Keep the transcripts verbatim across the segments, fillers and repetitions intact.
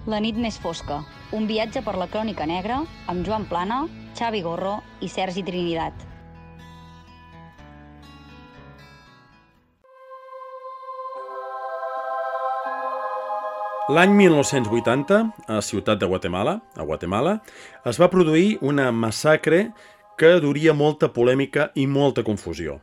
La nit més fosca, un viatge per la crònica negra amb Joan Plana, Xavi Gorro i Sergi Trinidad. L'any mil nou-cents vuitanta, a Ciutat de Guatemala, a Guatemala, es va produir una massacre que duria molta polèmica i molta confusió.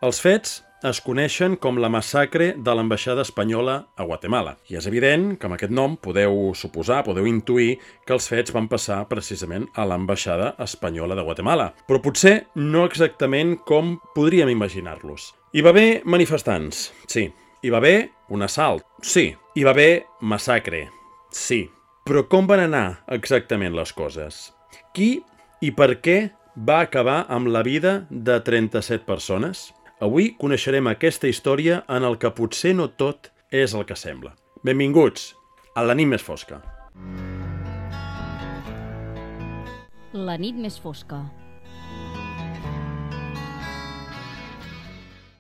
Els fets es coneixen com la massacre de l'ambaixada espanyola a Guatemala. I és evident que amb aquest nom podeu suposar, podeu intuir que els fets van passar precisament a l'ambaixada espanyola de Guatemala. Però potser no exactament com podríem imaginar-los. Hi va haver manifestants, sí. Hi va haver un assalt, sí. Hi va haver massacre, sí. Però com van anar exactament les coses? Qui i per què va acabar amb la vida de trenta-set persones? Avui coneixerem aquesta història en el que potser no tot és el que sembla. Benvinguts a La nit més fosca. La nit més fosca.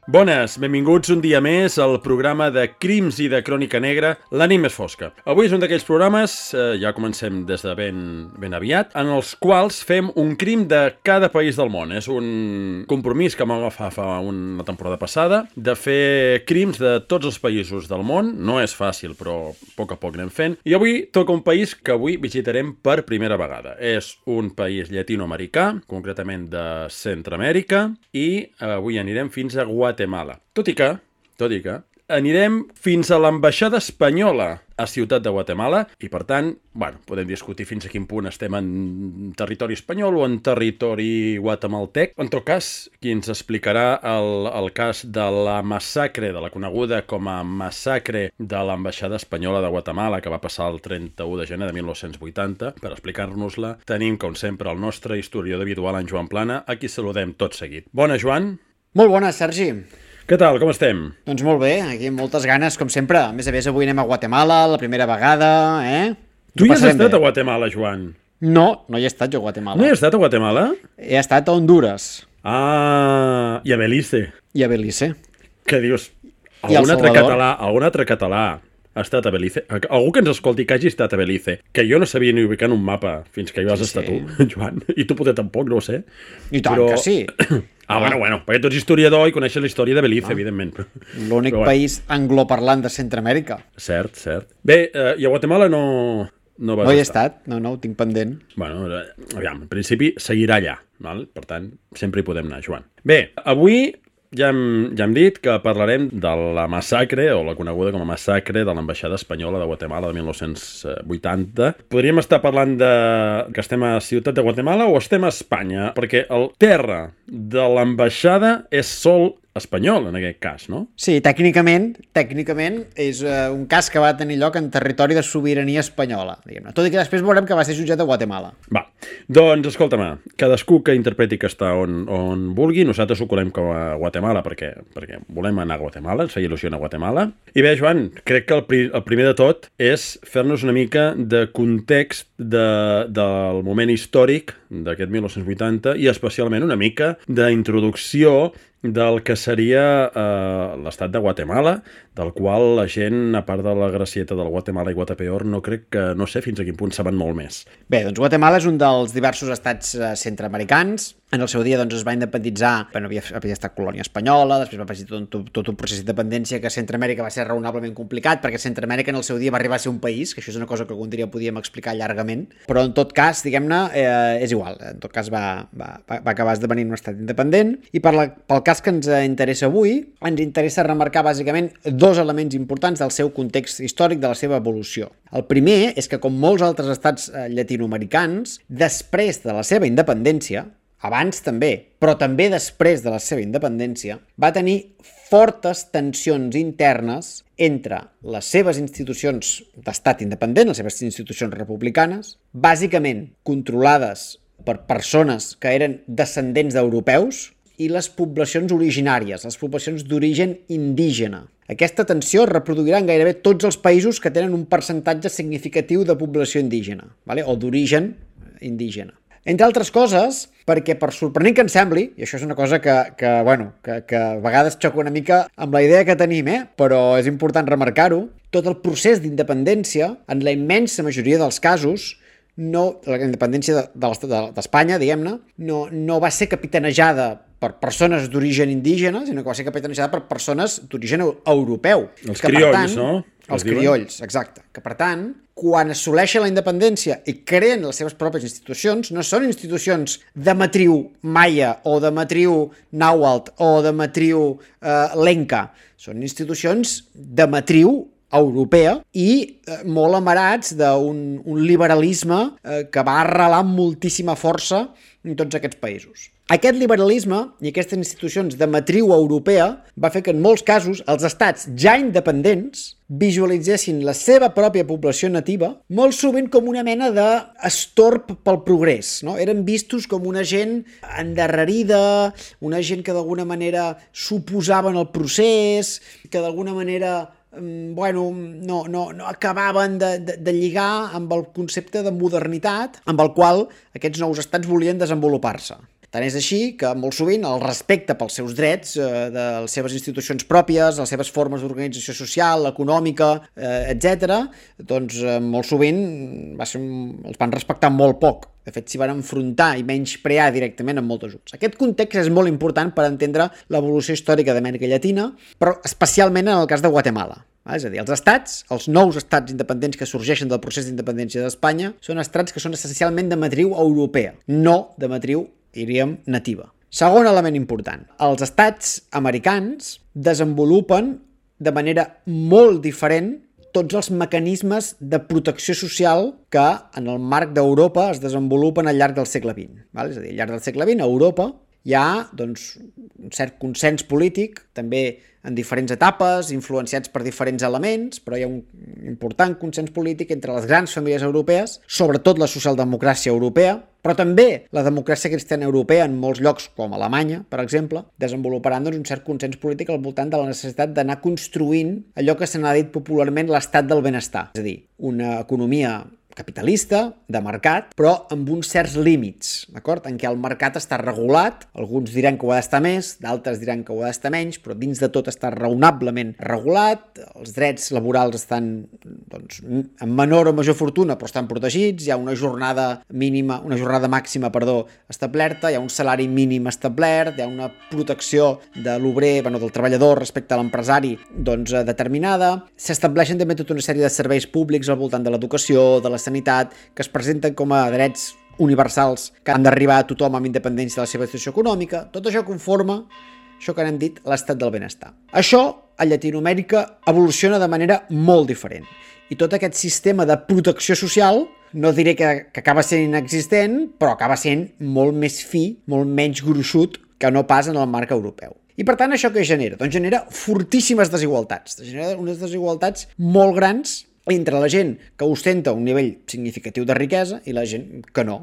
Bones, benvinguts un dia més al programa de crims i de crònica negra, La nit més fosca. Avui és un d'aquells programes, eh, ja comencem des de ben, ben aviat, en els quals fem un crim de cada país del món. És un compromís que vam agafar fa una temporada passada, de fer crims de tots els països del món. No és fàcil, però a poc a poc anem fent. I avui toca un país que avui visitarem per primera vegada. És un país llatinoamericà, concretament de Centroamèrica, i avui anirem fins a Guatemala. Guatemala. Tot i que, tot i que, anirem fins a l'ambaixada espanyola a Ciutat de Guatemala i, per tant, bueno, podem discutir fins a quin punt estem en territori espanyol o en territori guatemaltec. En tot cas, qui ens explicarà el, el cas de la massacre, de la coneguda com a massacre de l'ambaixada espanyola de Guatemala, que va passar el trenta-u de gener de mil nou-cents vuitanta, per explicar-nos-la, tenim, com sempre, el nostre historiador habitual, en Joan Plana, a qui saludem tot seguit. Bona, Joan. Molt bona, Sergi. Què tal, com estem? Doncs molt bé, aquí amb moltes ganes, com sempre. A més a més, avui anem a Guatemala, la primera vegada, eh? Tu hi has estat bé a Guatemala, Joan? No, no hi he estat jo a Guatemala. No hi has estat a Guatemala? He estat a Honduras. Ah, i a Belize. I a Belize. Què dius? Algun altre català, algun altre català ha estat a Belize? Algú que ens escolti que hagi estat a Belize, que jo no sabia ni ubicar en un mapa fins que hi vas sí, estar sí. tu, Joan, i tu potser tampoc, no ho sé. I tant però... que sí. Ah, bueno, bueno, perquè tu ets historiador i coneixes la història de Belize, ah. evidentment. L'únic bueno. país angloparlant de Centroamèrica. Cert, cert. Bé, eh, i a Guatemala no, no vas no hi he estar. estat, no, no, ho tinc pendent. Bueno, aviam, en principi seguirà allà, val? Per tant, sempre hi podem anar, Joan. Bé, avui ja hem, ja hem dit que parlarem de la massacre, o la coneguda com a massacre de l'ambaixada espanyola de Guatemala de mil nou-cents vuitanta. Podríem estar parlant de que estem a Ciutat de Guatemala o estem a Espanya, perquè el terra de l'ambaixada és sol espanyol, en aquest cas, no? Sí, tècnicament, tècnicament és uh, un cas que va tenir lloc en territori de sobirania espanyola, diguem-ne. Tot i que després veurem que va ser jutjat a Guatemala. Va, doncs escolta'm, cadascú que interpreti que està on, on vulgui, nosaltres ho colem com a Guatemala perquè, perquè volem anar a Guatemala, ens feia il·lusió a Guatemala. I bé, Joan, crec que el, pri el primer de tot és fer-nos una mica de context de, del moment històric d'aquest mil nou-cents vuitanta i especialment una mica d'introducció del que seria eh, l'estat de Guatemala, del qual la gent, a part de la gracieta del Guatemala i Guatepeor, no crec que, no sé fins a quin punt saben molt més. Bé, doncs Guatemala és un dels diversos estats eh, centreamericans. En el seu dia doncs, es va independitzar, bueno, havia, havia estat colònia espanyola, després va passar tot, tot, tot un procés d'independència que a Centroamèrica va ser raonablement complicat, perquè Centroamèrica en el seu dia va arribar a ser un país, que això és una cosa que algun dia podíem explicar llargament, però en tot cas, diguem-ne, eh, és igual, en tot cas va, va, va acabar esdevenint un estat independent, i per la, pel cas que ens interessa avui, ens interessa remarcar bàsicament dos elements importants del seu context històric, de la seva evolució. El primer és que, com molts altres estats eh, llatinoamericans, després de la seva independència, abans també, però també després de la seva independència, va tenir fortes tensions internes entre les seves institucions d'estat independent, les seves institucions republicanes, bàsicament controlades per persones que eren descendents d'europeus, i les poblacions originàries, les poblacions d'origen indígena. Aquesta tensió es reproduirà en gairebé tots els països que tenen un percentatge significatiu de població indígena, vale? O d'origen indígena. Entre altres coses, perquè per sorprenent que ens sembli, i això és una cosa que, que, bueno, que, que a vegades xoca una mica amb la idea que tenim, eh? Però és important remarcar-ho, tot el procés d'independència, en la immensa majoria dels casos, no, la independència d'Espanya, diguem-ne, no, no va ser capitanejada per persones d'origen indígena, sinó que va ser capitanejada per persones d'origen europeu. Els que, criolls, tant, no? Els criolls, exacte. Que, per tant, quan assoleixen la independència i creen les seves pròpies institucions, no són institucions de matriu maia o de matriu nàhuatl o de matriu eh, lenca. Són institucions de matriu europea i eh, molt amarats d'un un liberalisme eh, que va arrelar amb moltíssima força en tots aquests països. Aquest liberalisme i aquestes institucions de matriu europea va fer que en molts casos els estats ja independents visualitzessin la seva pròpia població nativa molt sovint com una mena d'estorb pel progrés, no? Eren vistos com una gent endarrerida, una gent que d'alguna manera s'oposaven al procés, que d'alguna manera bueno, no, no, no acabaven de, de, de lligar amb el concepte de modernitat amb el qual aquests nous estats volien desenvolupar-se. Tant és així que molt sovint el respecte pels seus drets, eh, de les seves institucions pròpies, les seves formes d'organització social, econòmica, eh, etcètera, doncs eh, molt sovint va ser un, els van respectar molt poc. De fet, s'hi van enfrontar i menysprear directament en molts ajuts. Aquest context és molt important per entendre l'evolució històrica d'Amèrica Llatina, però especialment en el cas de Guatemala. És a dir, els estats, els nous estats independents que sorgeixen del procés d'independència d'Espanya, són estats que són essencialment de matriu europea, no de matriu, diríem, nativa. Segon element important, els estats americans desenvolupen de manera molt diferent tots els mecanismes de protecció social que en el marc d'Europa es desenvolupen al llarg del segle vint. Val? És a dir, al llarg del segle vint a Europa hi ha doncs, un cert consens polític, també en diferents etapes, influenciats per diferents elements, però hi ha un important consens polític entre les grans famílies europees, sobretot la socialdemocràcia europea, però també la democràcia cristiana europea en molts llocs, com Alemanya, per exemple, desenvoluparan doncs, un cert consens polític al voltant de la necessitat d'anar construint allò que se n'ha dit popularment l'estat del benestar, és a dir, una economia capitalista, de mercat, però amb uns certs límits, d'acord? En què el mercat està regulat, alguns diran que ho ha d'estar més, d'altres diran que ho ha d'estar menys, però dins de tot està raonablement regulat, els drets laborals estan doncs, en menor o major fortuna, però estan protegits, hi ha una jornada mínima, una jornada màxima, perdó, establerta, hi ha un salari mínim establert, hi ha una protecció de l'obrer, bueno, del treballador respecte a l'empresari, doncs, determinada, s'estableixen també tota una sèrie de serveis públics al voltant de l'educació, de la sanitat, que es presenten com a drets universals que han d'arribar a tothom amb independència de la seva situació econòmica. Tot això conforma això que n'hem dit l'estat del benestar. Això a Llatinoamèrica evoluciona de manera molt diferent. I tot aquest sistema de protecció social, no diré que, que acaba sent inexistent, però acaba sent molt més fi, molt menys gruixut que no pas en el marc europeu. I per tant, això què genera? Doncs genera fortíssimes desigualtats. Genera unes desigualtats molt grans entre la gent que ostenta un nivell significatiu de riquesa i la gent que no.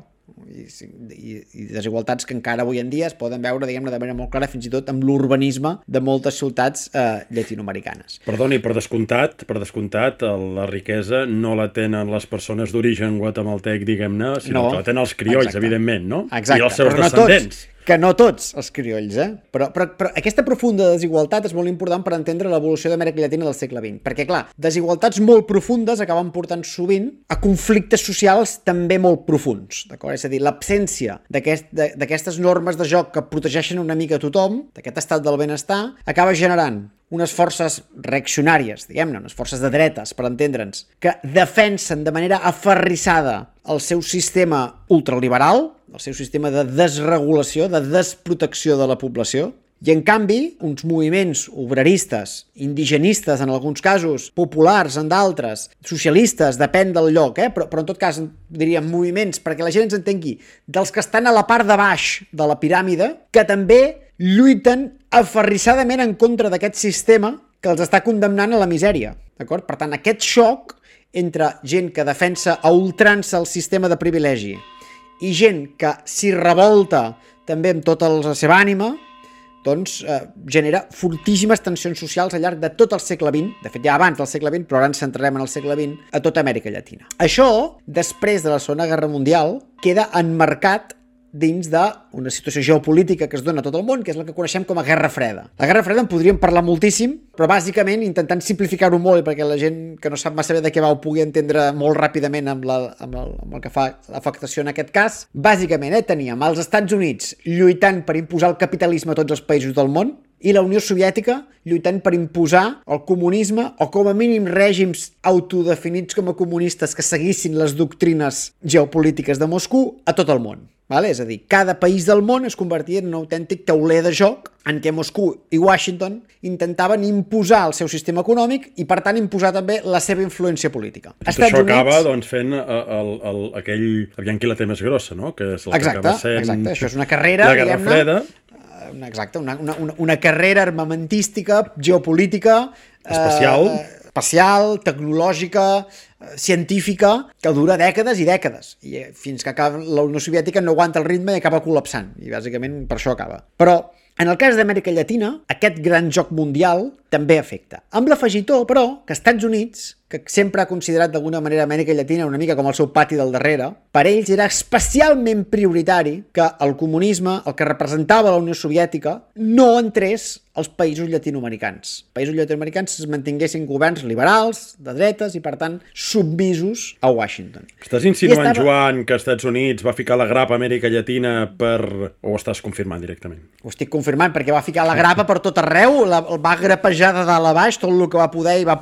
I, i, i desigualtats que encara avui en dia es poden veure, diguem-ne, de manera molt clara, fins i tot amb l'urbanisme de moltes ciutats eh, llatinoamericanes. Perdoni, per descomptat, per descomptat, la riquesa no la tenen les persones d'origen guatemaltec, diguem-ne, sinó no, que la tenen els criolls, exacte. Evidentment, no? Exacte, i els seus però no descendents. Tots. Que no tots els criolls, eh? Però, però, però aquesta profunda desigualtat és molt important per entendre l'evolució d'Amèrica Llatina del segle vint. Perquè, clar, desigualtats molt profundes acaben portant sovint a conflictes socials també molt profuns, d'acord? És a dir, l'absència d'aquest, d'aquestes normes de joc que protegeixen una mica a tothom, d'aquest estat del benestar, acaba generant unes forces reaccionàries, diguem-ne, unes forces de dretes, per entendre'ns, que defensen de manera aferrissada el seu sistema ultraliberal, el seu sistema de desregulació, de desprotecció de la població, i en canvi, uns moviments obreristes, indigenistes en alguns casos, populars en d'altres, socialistes, depèn del lloc, eh? però, però en tot cas diríem moviments, perquè la gent ens entengui, dels que estan a la part de baix de la piràmide, que també lluiten aferrissadament en contra d'aquest sistema que els està condemnant a la misèria. D'acord? Per tant, aquest xoc entre gent que defensa a ultrança el sistema de privilegi i gent que s'hi revolta també amb tota la seva ànima, doncs, eh, genera fortíssimes tensions socials al llarg de tot el segle vint, de fet ja abans del segle vint, però ara ens centrarem en el segle vint, a tota Amèrica Llatina. Això, després de la Segona Guerra Mundial, queda enmarcat dins d'una situació geopolítica que es dona a tot el món, que és la que coneixem com a Guerra Freda. La Guerra Freda en podríem parlar moltíssim, però bàsicament intentant simplificar-ho molt perquè la gent que no sap massa bé de què va ho pugui entendre molt ràpidament amb, la, amb, el, amb el que fa l'afectació en aquest cas. Bàsicament, eh, teníem els Estats Units lluitant per imposar el capitalisme a tots els països del món i la Unió Soviètica lluitant per imposar el comunisme o com a mínim règims autodefinits com a comunistes que seguissin les doctrines geopolítiques de Moscou a tot el món. Vale? És a dir, cada país del món es convertia en un autèntic tauler de joc en què Moscou i Washington intentaven imposar el seu sistema econòmic i, per tant, imposar també la seva influència política. Tot això Units... acaba doncs, fent el, el, el, aquell... Aviam qui la té més grossa, no? Que és el exacte, que acaba sent... Exacte, això és una carrera, la Guerra Freda. Una, exacte, una, una, una carrera armamentística, geopolítica... Espacial. Eh, espacial, tecnològica, científica, que dura dècades i dècades. I fins que acaba, la Unió Soviètica no aguanta el ritme i acaba col·lapsant. I bàsicament per això acaba. Però en el cas d'Amèrica Llatina, aquest gran joc mundial també afecta. Amb l'afegitó, però, que Estats Units, que sempre ha considerat d'alguna manera Amèrica Llatina una mica com el seu pati del darrere, per ells era especialment prioritari que el comunisme, el que representava la Unió Soviètica, no entrés als països llatinoamericans. Països llatinoamericans es mantinguessin governs liberals, de dretes i, per tant, submisos a Washington. Estàs insinuant, estava... Joan, que Estats Units va ficar la grapa a Amèrica Llatina per... o ho estàs confirmant directament? Ho estic confirmant perquè va ficar la grapa per tot arreu, la, el va grapejar de dalt a baix, tot el que va poder i va,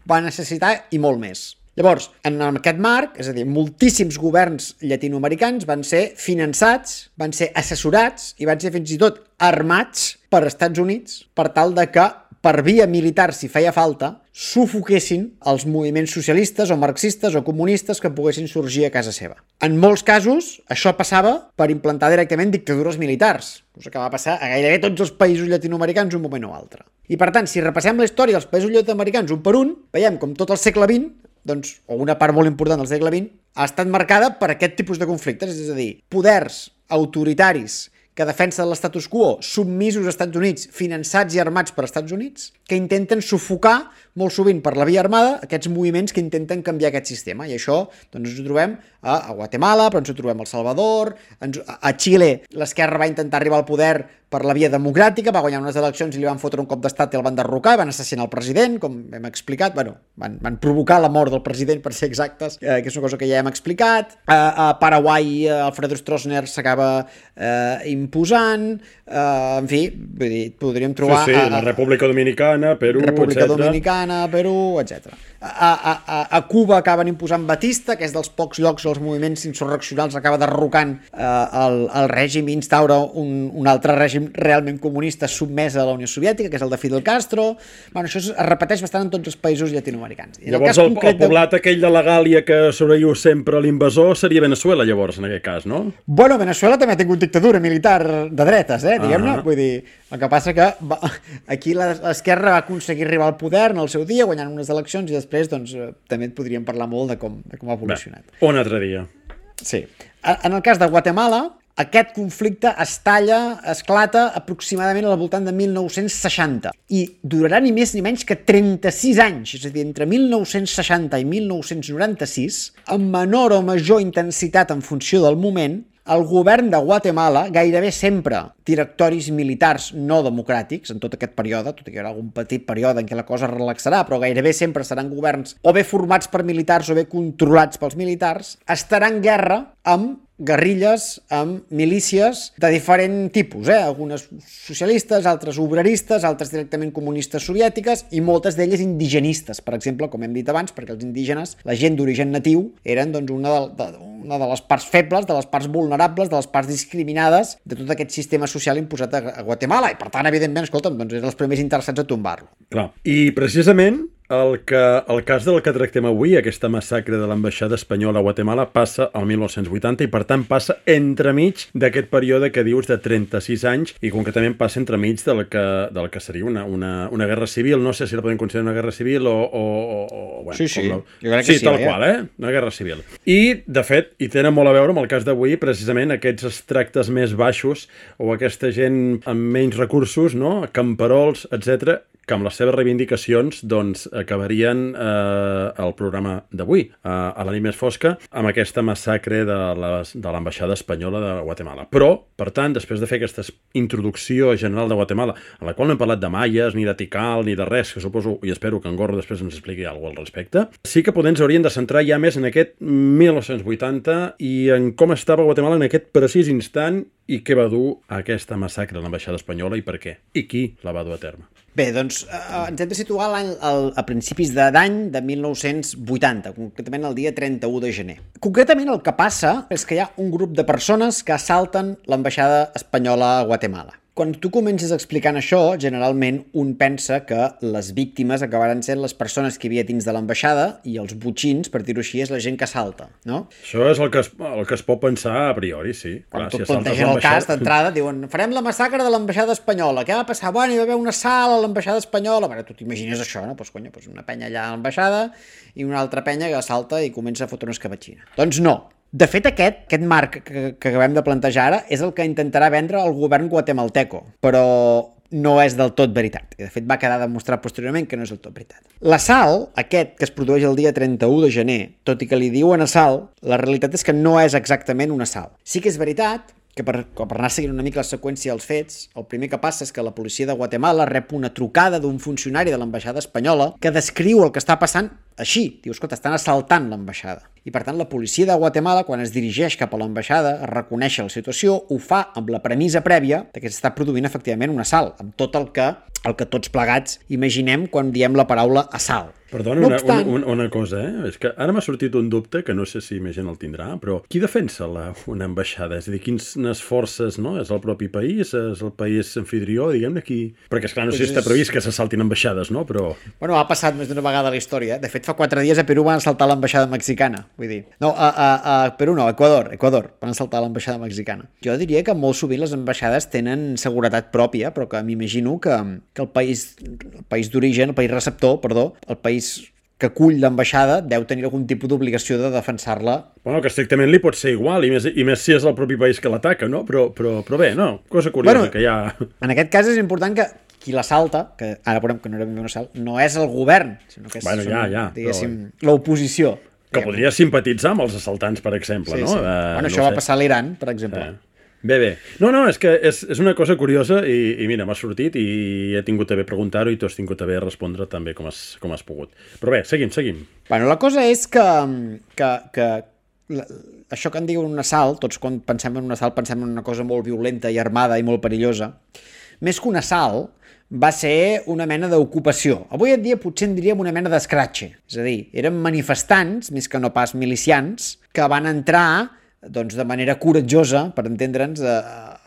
va necessitar i molt més. Llavors, en aquest marc, és a dir, moltíssims governs llatinoamericans van ser finançats, van ser assessorats i van ser fins i tot armats per Estats Units per tal de que, per via militar, si feia falta, sufoquessin els moviments socialistes o marxistes o comunistes que poguessin sorgir a casa seva. En molts casos, això passava per implantar directament dictadures militars, cosa que va passar a gairebé tots els països llatinoamericans un moment o altre. I per tant, si repassem la història dels països llatinoamericans un per un, veiem com tot el segle vint, doncs, o una part molt important del segle vint, ha estat marcada per aquest tipus de conflictes, és a dir, poders autoritaris que defensen l'estatus quo, submisos als Estats Units, finançats i armats per Estats Units, que intenten sufocar molt sovint per la via armada aquests moviments que intenten canviar aquest sistema. I això doncs, ens ho trobem a, a Guatemala, però ens ho trobem al Salvador, ens, a Xile l'esquerra va intentar arribar al poder per la via democràtica, va guanyar unes eleccions i li van fotre un cop d'estat i el van derrocar, i van assassinar el president, com hem explicat, bueno, van, van provocar la mort del president, per ser exactes, eh, que és una cosa que ja hem explicat. A, a Paraguai, eh, Alfredo Stroessner s'acaba eh, imposant, eh, en fi, vull dir, podríem trobar... Sí, sí, a, a, la República Dominicana, Perú, República etcètera. Dominicana, Perú, etcètera. A, a, a, a Cuba acaben imposant Batista, que és dels pocs llocs els moviments insurreccionals acaba derrocant eh, el, el règim i instaura un, un altre règim realment comunista submès a la Unió Soviètica, que és el de Fidel Castro. Bueno, això es repeteix bastant en tots els països llatinoamericans. I llavors el, el poblat de... aquell de la Gàlia que sobreviu sempre l'invasor seria Venezuela, llavors, en aquest cas, no? Bueno, Venezuela també ha tingut dictadura militar de dretes, eh, diguem-ne. Uh -huh. Vull dir, el que passa que va, aquí l'esquerra va aconseguir arribar al poder en el seu dia, guanyant unes eleccions, i després doncs, també et podríem parlar molt de com, de com ha evolucionat. Bé, un altre dia. Sí. En el cas de Guatemala, aquest conflicte es talla, esclata aproximadament al voltant de mil nou-cents seixanta i durarà ni més ni menys que trenta-sis anys, és a dir, entre mil nou-cents seixanta i mil nou-cents noranta-sis, amb menor o major intensitat en funció del moment, el govern de Guatemala, gairebé sempre directoris militars no democràtics en tot aquest període, tot i que hi haurà algun petit període en què la cosa es relaxarà, però gairebé sempre seran governs o bé formats per militars o bé controlats pels militars, estarà en guerra amb guerrilles, amb milícies de diferent tipus, eh? Algunes socialistes, altres obreristes, altres directament comunistes soviètiques i moltes d'elles indigenistes, per exemple, com hem dit abans, perquè els indígenes, la gent d'origen natiu, eren doncs, una, de, de, una de les parts febles, de les parts vulnerables, de les parts discriminades de tot aquest sistema social imposat a, a Guatemala i, per tant, evidentment, escolta'm, doncs eren els primers interessats a tombar-lo. Clar. I, precisament, el, que, el cas del que tractem avui, aquesta massacre de l'ambaixada espanyola a Guatemala, passa al mil nou-cents vuitanta i, per tant, passa entremig d'aquest període que dius de trenta-sis anys i, concretament, passa entremig del que, del que seria una, una, una guerra civil. No sé si la podem considerar una guerra civil o... o, o bueno, sí, sí. La... Jo crec que sí, sí, tal eh? qual, eh? Una guerra civil. I, de fet, hi tenen molt a veure amb el cas d'avui, precisament aquests extractes més baixos o aquesta gent amb menys recursos, no? Camperols, etcètera, que amb les seves reivindicacions doncs, acabarien eh, el programa d'avui, eh, a la nit més fosca, amb aquesta massacre de l'ambaixada espanyola de Guatemala. Però, per tant, després de fer aquesta introducció general de Guatemala, en la qual no hem parlat de maies, ni de Tikal, ni de res, que suposo, i espero que en Gorro després ens expliqui alguna cosa al respecte, sí que potser ens hauríem de centrar ja més en aquest mil nou-cents vuitanta i en com estava Guatemala en aquest precís instant i què va dur a aquesta massacre de l'ambaixada espanyola i per què, i qui la va dur a terme. Bé, doncs eh, ens hem de situar l'any, el, a principis d'any de mil nou-cents vuitanta, concretament el dia trenta-u de gener. Concretament el que passa és que hi ha un grup de persones que assalten l'ambaixada espanyola a Guatemala. Quan tu comences explicant això, generalment un pensa que les víctimes acabaran sent les persones que hi havia dins de l'ambaixada i els botxins, per dir-ho així, és la gent que assalta, no? Això és el que es, el que es pot pensar a priori, sí. Quan Clar, tu si plantegen el cas d'entrada, diuen farem la massacre de l'ambaixada espanyola. Què va passar? Bueno, hi va haver una sala a l'ambaixada espanyola. Bueno, tu t'imagines això, no? Pues, conya, pues una penya allà a l'ambaixada i una altra penya que assalta i comença a fotre una escabatxina. Doncs no. De fet, aquest, aquest marc que, que acabem de plantejar ara és el que intentarà vendre el govern guatemalteco, però no és del tot veritat. I de fet va quedar demostrat posteriorment que no és del tot veritat. L'assalt, aquest que es produeix el dia trenta-u de gener, tot i que li diuen assalt, la realitat és que no és exactament un assalt. Sí que és veritat que per, per anar seguint una mica la seqüència dels fets, el primer que passa és que la policia de Guatemala rep una trucada d'un funcionari de l'ambaixada espanyola que descriu el que està passant així. Diu, escolta, estan assaltant l'ambaixada. I per tant la policia de Guatemala, quan es dirigeix cap a l'ambaixada a reconèixer la situació, ho fa amb la premissa prèvia de que s'està produint efectivament un assalt, amb tot el que, el que tots plegats imaginem quan diem la paraula assalt. Perdona, no una, obstant... una, una cosa, eh? És que ara m'ha sortit un dubte que no sé si més gent el tindrà, però qui defensa la, una ambaixada? És a dir, quines forces, no? És el propi país? És el país anfitrió, diguem-ne, qui... Perquè, esclar, no sé si està previst que s'assaltin ambaixades, no? Però... Bueno, ha passat més d'una vegada a la història. De fet, fa quatre dies a Perú van assaltar l'ambaixada mexicana, vull dir. No, a, a, a Perú no, a Equador, Equador, van assaltar l'ambaixada mexicana. Jo diria que molt sovint les ambaixades tenen seguretat pròpia, però que m'imagino que, que el país, el país d'origen, el país receptor, perdó, el país que acull l'ambaixada deu tenir algun tipus d'obligació de defensar-la. Bueno, que estrictament li pot ser igual, i més, i més si és el propi país que l'ataca, no? Però, però, però bé, no, cosa curiosa, bueno, que hi ha... En aquest cas és important que qui l'assalta, que ara veurem que no era ben bé un assalt, no és el govern, sinó que és, bueno, ja, ja, diguéssim, però... l'oposició. Que podria simpatitzar amb els assaltants, per exemple, sí, no? Sí. Uh, bueno, no això sé. va passar a l'Iran, per exemple. Eh. Bé, bé. No, no, és que és, és una cosa curiosa i, i mira, m'ha sortit i he tingut a bé preguntar-ho i tu has tingut a bé respondre també com has, com has pogut. Però bé, seguim, seguim. Bueno, la cosa és que, que, que la, això que en diuen un assalt, tots quan pensem en un assalt pensem en una cosa molt violenta i armada i molt perillosa, més que un assalt va ser una mena d'ocupació. Avui en dia potser en diríem una mena d'escratxe. És a dir, eren manifestants, més que no pas milicians, que van entrar doncs, de manera coratjosa, per entendre'ns, a,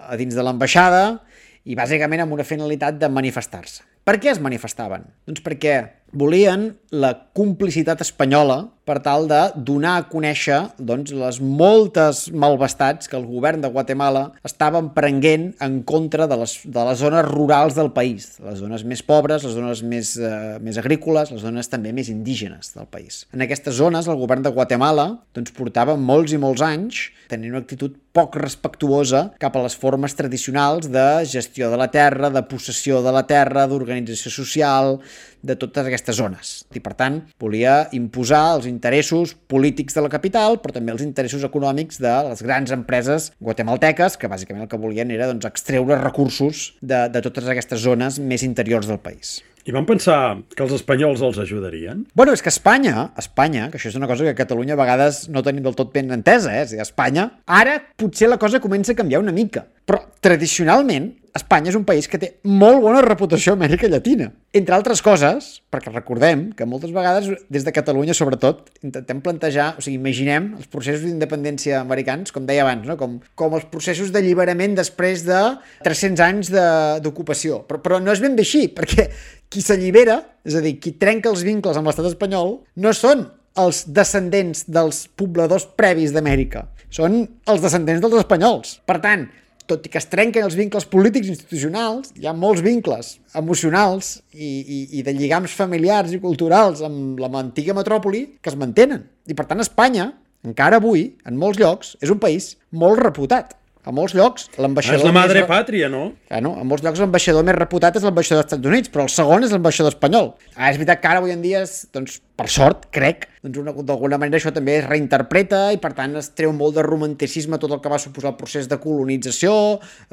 a dins de l'ambaixada i bàsicament amb una finalitat de manifestar-se. Per què es manifestaven? Doncs perquè volien la complicitat espanyola per tal de donar a conèixer doncs, les moltes malvestats que el govern de Guatemala estava emprenguent en contra de les, de les zones rurals del país, les zones més pobres, les zones més, eh, més agrícoles, les zones també més indígenes del país. En aquestes zones el govern de Guatemala doncs, portava molts i molts anys tenint una actitud poc respectuosa cap a les formes tradicionals de gestió de la terra, de possessió de la terra, d'organització social, de totes aquestes zones. I, per tant, volia imposar els interessos polítics de la capital, però també els interessos econòmics de les grans empreses guatemalteques, que bàsicament el que volien era doncs, extreure recursos de, de totes aquestes zones més interiors del país. I van pensar que els espanyols els ajudarien? Bueno, és que Espanya, Espanya, que això és una cosa que a Catalunya a vegades no tenim del tot ben entesa, eh? És a dir, Espanya, ara potser la cosa comença a canviar una mica, però tradicionalment Espanya és un país que té molt bona reputació a Amèrica Llatina. Entre altres coses, perquè recordem que moltes vegades, des de Catalunya sobretot, intentem plantejar, o sigui, imaginem els processos d'independència americans, com deia abans, no? com, com els processos d'alliberament després de tres-cents anys d'ocupació. Però, però no és ben bé així, perquè qui s'allibera, és a dir, qui trenca els vincles amb l'estat espanyol, no són els descendents dels pobladors previs d'Amèrica, són els descendents dels espanyols. Per tant, tot i que es trenquen els vincles polítics i institucionals, hi ha molts vincles emocionals i, i, i de lligams familiars i culturals amb la antiga metròpoli que es mantenen. I per tant, Espanya, encara avui, en molts llocs, és un país molt reputat. A molts llocs, l'ambaixador... És la madre més... pàtria, no? Ah, no? A molts llocs l'ambaixador més reputat és l'ambaixador dels Estats Units, però el segon és l'ambaixador espanyol. Ah, és veritat que ara avui en dia, és, doncs, per sort, crec, doncs d'alguna manera això també es reinterpreta i per tant es treu molt de romanticisme tot el que va suposar el procés de colonització,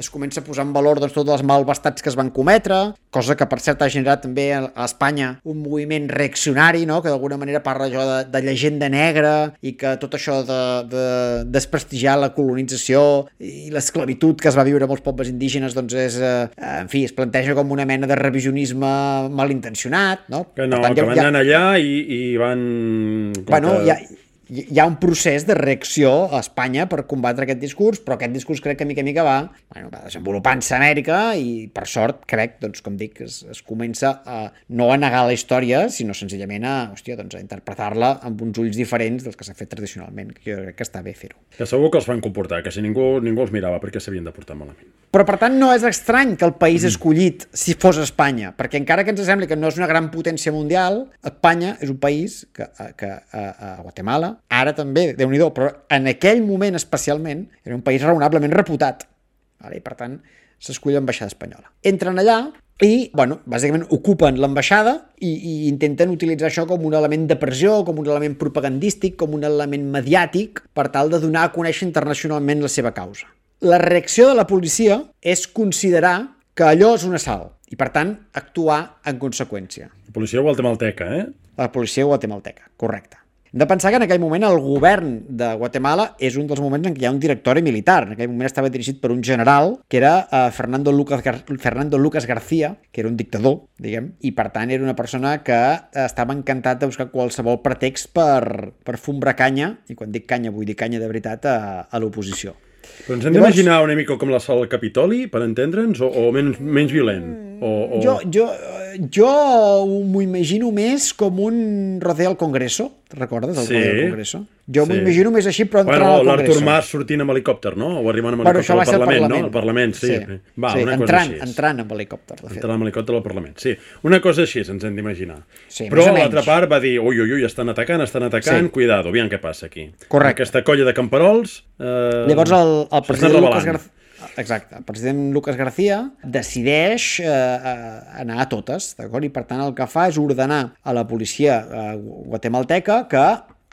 es comença a posar en valor doncs, tots els malvestats que es van cometre, cosa que per cert ha generat també a Espanya un moviment reaccionari, no? Que d'alguna manera parla allò de, de llegenda negra i que tot això de, de desprestigiar la colonització i l'esclavitud que es va viure a molts pobles indígenes doncs és, eh, en fi, es planteja com una mena de revisionisme malintencionat, no? Que no, tant, que ja, van ja... anar allà i, i van... Bueno, que... hi ha, hi ha un procés de reacció a Espanya per combatre aquest discurs, però aquest discurs crec que mica a mica va, bueno, va desenvolupant-se a Amèrica i per sort crec, doncs com dic, es, es comença a no a negar la història, sinó senzillament a, hòstia, doncs a interpretar-la amb uns ulls diferents dels que s'ha fet tradicionalment, que jo crec que està bé fer-ho. Que segur que els fan comportar, que si ningú, ningú els mirava perquè s'havien de portar malament. Però, per tant, no és estrany que el país escollit si fos Espanya, perquè encara que ens sembli que no és una gran potència mundial, Espanya és un país que, que a, a Guatemala, ara també, Déu-n'hi-do, però en aquell moment especialment, era un país raonablement reputat. Vale? I, per tant, s'escull l'ambaixada espanyola. Entren allà i, bueno, bàsicament ocupen l'ambaixada i, i intenten utilitzar això com un element de pressió, com un element propagandístic, com un element mediàtic, per tal de donar a conèixer internacionalment la seva causa. La reacció de la policia és considerar que allò és un assalt i, per tant, actuar en conseqüència. La policia guatemalteca, eh? La policia guatemalteca, correcte. Hem de pensar que en aquell moment el govern de Guatemala és un dels moments en què hi ha un directori militar. En aquell moment estava dirigit per un general, que era uh, Fernando, Lucas Gar Fernando Lucas García, que era un dictador, diguem, i per tant era una persona que estava encantat de buscar qualsevol pretext per, per fumbrar canya, i quan dic canya vull dir canya de veritat, a, a l'oposició. Però ens hem d'imaginar una mica com l'assalt al Capitoli, per entendre'ns, o, o menys, menys violent? O, o... Jo, jo, jo m'ho imagino més com un rodeo al Congreso. Te'n recordes del sí, rodeo al Congreso? Jo sí. m'ho imagino més així, però entrant bueno, al Congreso. L'Artur Mas sortint amb helicòpter, no? O arribant amb bueno, helicòpter al Parlament, Parlament, no? Al Parlament, sí. sí. Va, sí, una entrant, cosa així. Entrant amb helicòpter, de fet. Entrant amb helicòpter al Parlament, sí. Una cosa així ens hem d'imaginar. Sí, però l'altra part va dir, ui, ui, ui, estan atacant, estan atacant, sí. Cuidado, aviam què passa aquí. Correcte. Aquesta colla de camperols... Eh, Llavors el, el president Lucas García... Exacte, el president Lucas García decideix eh, anar a totes, d'acord? I per tant el que fa és ordenar a la policia eh, guatemalteca que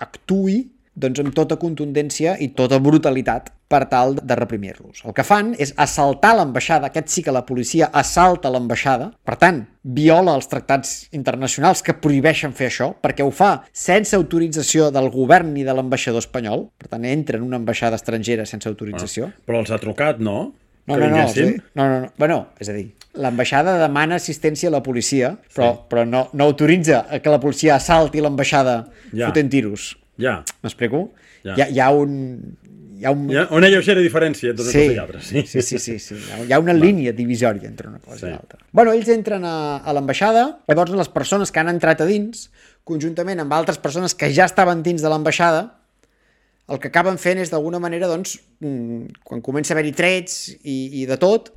actuï doncs, amb tota contundència i tota brutalitat per tal de reprimir-los. El que fan és assaltar l'ambaixada, aquest sí que la policia assalta l'ambaixada, per tant, viola els tractats internacionals que prohibeixen fer això, perquè ho fa sense autorització del govern ni de l'ambaixador espanyol, per tant, entra en una ambaixada estrangera sense autorització. Bueno, però els ha trucat, no? No, no, no, sí. no, no, no. Bueno, és a dir, l'ambaixada demana assistència a la policia, però, sí. però no, no autoritza que la policia assalti l'ambaixada ja. fotent tiros. Ja. M'explico? Ja. Hi, ha, hi ha un... Hi ha un... Hi ha una lleugera diferència entre sí. una cosa i altra. Sí, sí, sí. sí, sí. Hi ha una Va. línia divisòria entre una cosa sí. i l'altra. Bueno, ells entren a, a l'ambaixada, llavors les persones que han entrat a dins, conjuntament amb altres persones que ja estaven dins de l'ambaixada, el que acaben fent és d'alguna manera, doncs, quan comença a haver-hi trets i, i de tot,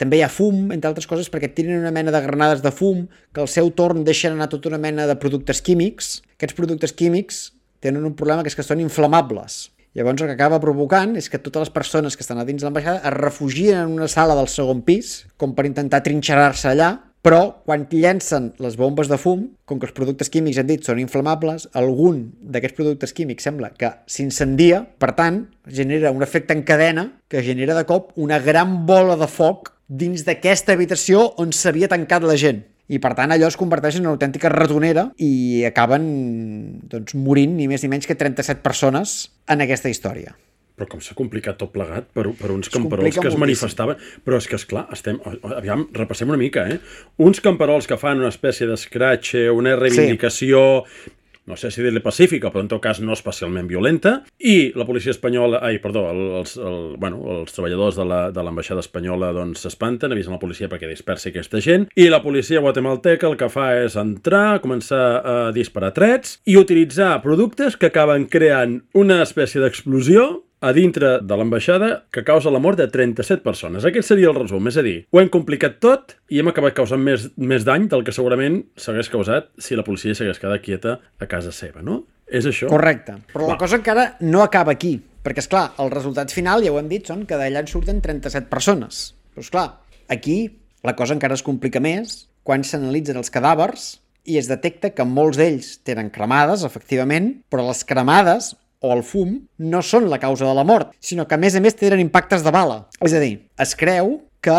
també hi ha fum, entre altres coses, perquè tiren una mena de granades de fum que al seu torn deixen anar tota una mena de productes químics. Aquests productes químics tenen un problema que és que són inflamables. Llavors el que acaba provocant és que totes les persones que estan a dins de l'ambaixada es refugien en una sala del segon pis, com per intentar trinxerar-se allà, però quan llencen les bombes de fum, com que els productes químics, hem dit, són inflamables, algun d'aquests productes químics sembla que s'incendia, per tant, genera un efecte en cadena que genera de cop una gran bola de foc dins d'aquesta habitació on s'havia tancat la gent. I per tant allò es converteix en una autèntica ratonera i acaben doncs, morint ni més ni menys que trenta-set persones en aquesta història. Però com s'ha complicat tot plegat per, per uns camperols que es manifestaven. Però és que, esclar, estem... Aviam, repassem una mica, eh? Uns camperols que fan una espècie d'escratxe, una reivindicació... Sí. No sé si dir-li pacífica, però en tot cas no especialment violenta, i la policia espanyola, ai, perdó, els, el, bueno, els treballadors de l'ambaixada espanyola doncs s'espanten, avisen la policia perquè dispersi aquesta gent, i la policia guatemalteca el que fa és entrar, començar a disparar trets i utilitzar productes que acaben creant una espècie d'explosió a dintre de l'ambaixada que causa la mort de trenta-set persones. Aquest seria el resum, és a dir, ho hem complicat tot i hem acabat causant més, més dany del que segurament s'hagués causat si la policia s'hagués quedat quieta a casa seva, no? És això? Correcte, però Va. La cosa encara no acaba aquí, perquè, esclar, el resultat final, ja ho hem dit, són que d'allà en surten trenta-set persones. Però, esclar, aquí la cosa encara es complica més quan s'analitzen els cadàvers i es detecta que molts d'ells tenen cremades, efectivament, però les cremades o el fum no són la causa de la mort, sinó que a més a més tenen impactes de bala. És a dir, es creu que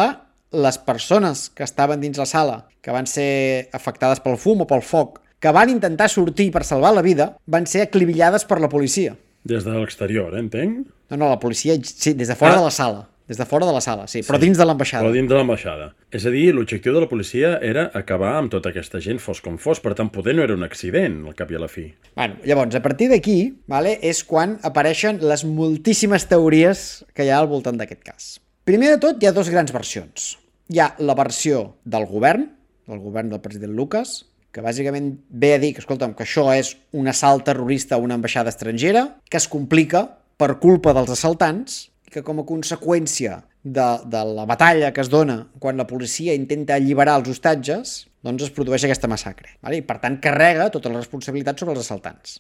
les persones que estaven dins la sala, que van ser afectades pel fum o pel foc, que van intentar sortir per salvar la vida, van ser aclivillades per la policia. Des de l'exterior, eh, entenc? No, no, la policia, sí, des de fora ah. de la sala. Des de fora de la sala, sí, però sí, dins de l'ambaixada. Però dins de l'ambaixada. És a dir, l'objectiu de la policia era acabar amb tota aquesta gent, fos com fos, per tant, poder no era un accident, al cap i a la fi. Bueno, llavors, a partir d'aquí, vale, és quan apareixen les moltíssimes teories que hi ha al voltant d'aquest cas. Primer de tot, hi ha dues grans versions. Hi ha la versió del govern, del govern del president Lucas, que bàsicament ve a dir que, escolta'm, que això és un assalt terrorista a una ambaixada estrangera, que es complica per culpa dels assaltants, que com a conseqüència de, de la batalla que es dona quan la policia intenta alliberar els hostatges, doncs es produeix aquesta massacre. Vale? I per tant carrega tota la responsabilitat sobre els assaltants.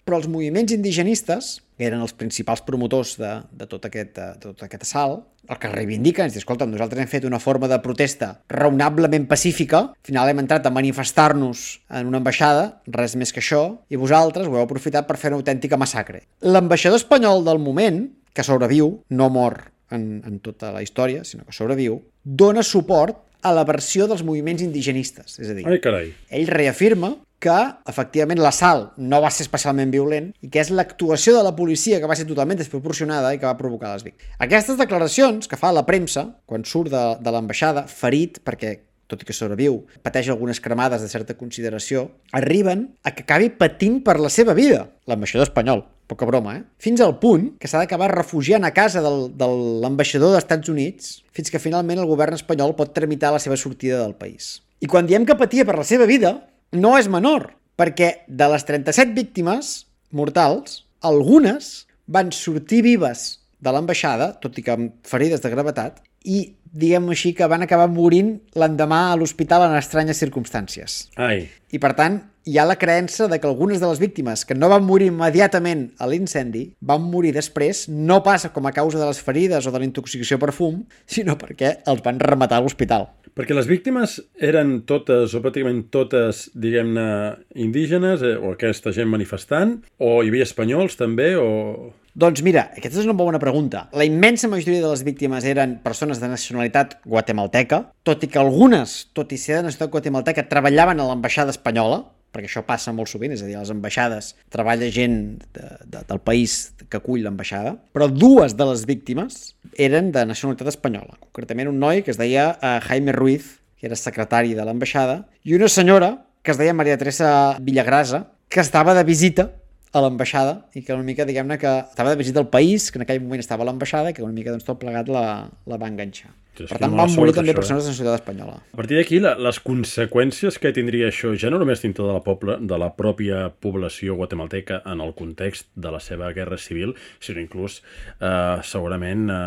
Però els moviments indigenistes, que eren els principals promotors de, de, tot, aquest, de tot aquest assalt, el que reivindiquen és dir, escolta, nosaltres hem fet una forma de protesta raonablement pacífica, al final hem entrat a manifestar-nos en una ambaixada, res més que això, i vosaltres ho heu aprofitat per fer una autèntica massacre. L'ambaixador espanyol del moment, que sobreviu, no mor en, en tota la història, sinó que sobreviu, dona suport a la versió dels moviments indigenistes. És a dir, Ai, carai. Ell reafirma que, efectivament, l'assalt no va ser especialment violent i que és l'actuació de la policia que va ser totalment desproporcionada i que va provocar les víctimes. Aquestes declaracions que fa la premsa, quan surt de, de l'ambaixada, ferit, perquè tot i que sobreviu, pateix algunes cremades de certa consideració, arriben a que acabi patint per la seva vida, l'ambaixador espanyol. Poca broma, eh? Fins al punt que s'ha d'acabar refugiant a casa del, de l'ambaixador dels Estats Units fins que finalment el govern espanyol pot tramitar la seva sortida del país. I quan diem que patia per la seva vida, no és menor, perquè de les trenta-set víctimes mortals, algunes van sortir vives de l'ambaixada, tot i que amb ferides de gravetat, i diguem així que van acabar morint l'endemà a l'hospital en estranyes circumstàncies. Ai. I per tant, hi ha la creença de que algunes de les víctimes que no van morir immediatament a l'incendi van morir després, no pas com a causa de les ferides o de la intoxicació per fum, sinó perquè els van rematar a l'hospital. Perquè les víctimes eren totes, o pràcticament totes, diguem-ne, indígenes, eh, o aquesta gent manifestant, o hi havia espanyols també, o... Doncs mira, aquesta és una bona pregunta. La immensa majoria de les víctimes eren persones de nacionalitat guatemalteca, tot i que algunes, tot i ser de nacionalitat guatemalteca, treballaven a l'ambaixada espanyola, perquè això passa molt sovint, és a dir, a les ambaixades treballa gent de, de, del país que acull l'ambaixada, però dues de les víctimes eren de nacionalitat espanyola, concretament un noi que es deia uh, Jaime Ruiz, que era secretari de l'ambaixada, i una senyora que es deia Maria Teresa Villagrasa, que estava de visita a l'ambaixada i que una mica, diguem-ne, que estava de visita al país, que en aquell moment estava a l'ambaixada i que una mica doncs, tot plegat la, la va enganxar. Sí, per tant, van morir també persones de la societat espanyola. A partir d'aquí, les conseqüències que tindria això, ja no només dintre de la, poble, de la pròpia població guatemalteca en el context de la seva guerra civil, sinó inclús eh, segurament eh,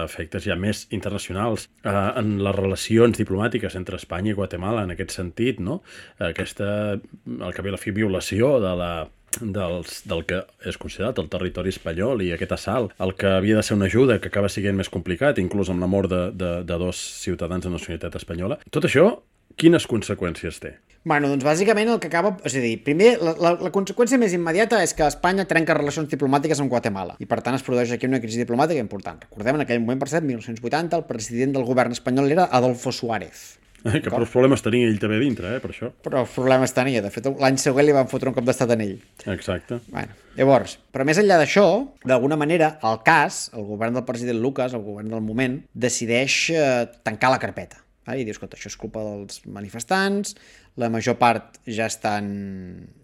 efectes ja més internacionals eh, en les relacions diplomàtiques entre Espanya i Guatemala, en aquest sentit, no? Aquesta, al cap i a la fi, violació de la Dels, del que és considerat el territori espanyol i aquest assalt, el que havia de ser una ajuda que acaba sent més complicat, inclús amb la mort de, de, de dos ciutadans de nacionalitat espanyola. Tot això, quines conseqüències té? Bueno, doncs bàsicament el que acaba... És a dir, primer, la, la, la conseqüència més immediata és que Espanya trenca relacions diplomàtiques amb Guatemala i per tant es produeix aquí una crisi diplomàtica important. Recordem, en aquell moment, per cert, mil nou-cents vuitanta, el president del govern espanyol era Adolfo Suárez. Eh, que prou problemes tenia ell també dintre, eh, per això. Però els problemes tenia. De fet, l'any següent li van fotre un cop d'estat en ell. Exacte. Bueno, llavors, però més enllà d'això, d'alguna manera, el cas, el govern del president Lucas, el govern del moment, decideix eh, tancar la carpeta. Vale? I dius, escolta, això és culpa dels manifestants, la major part ja estan,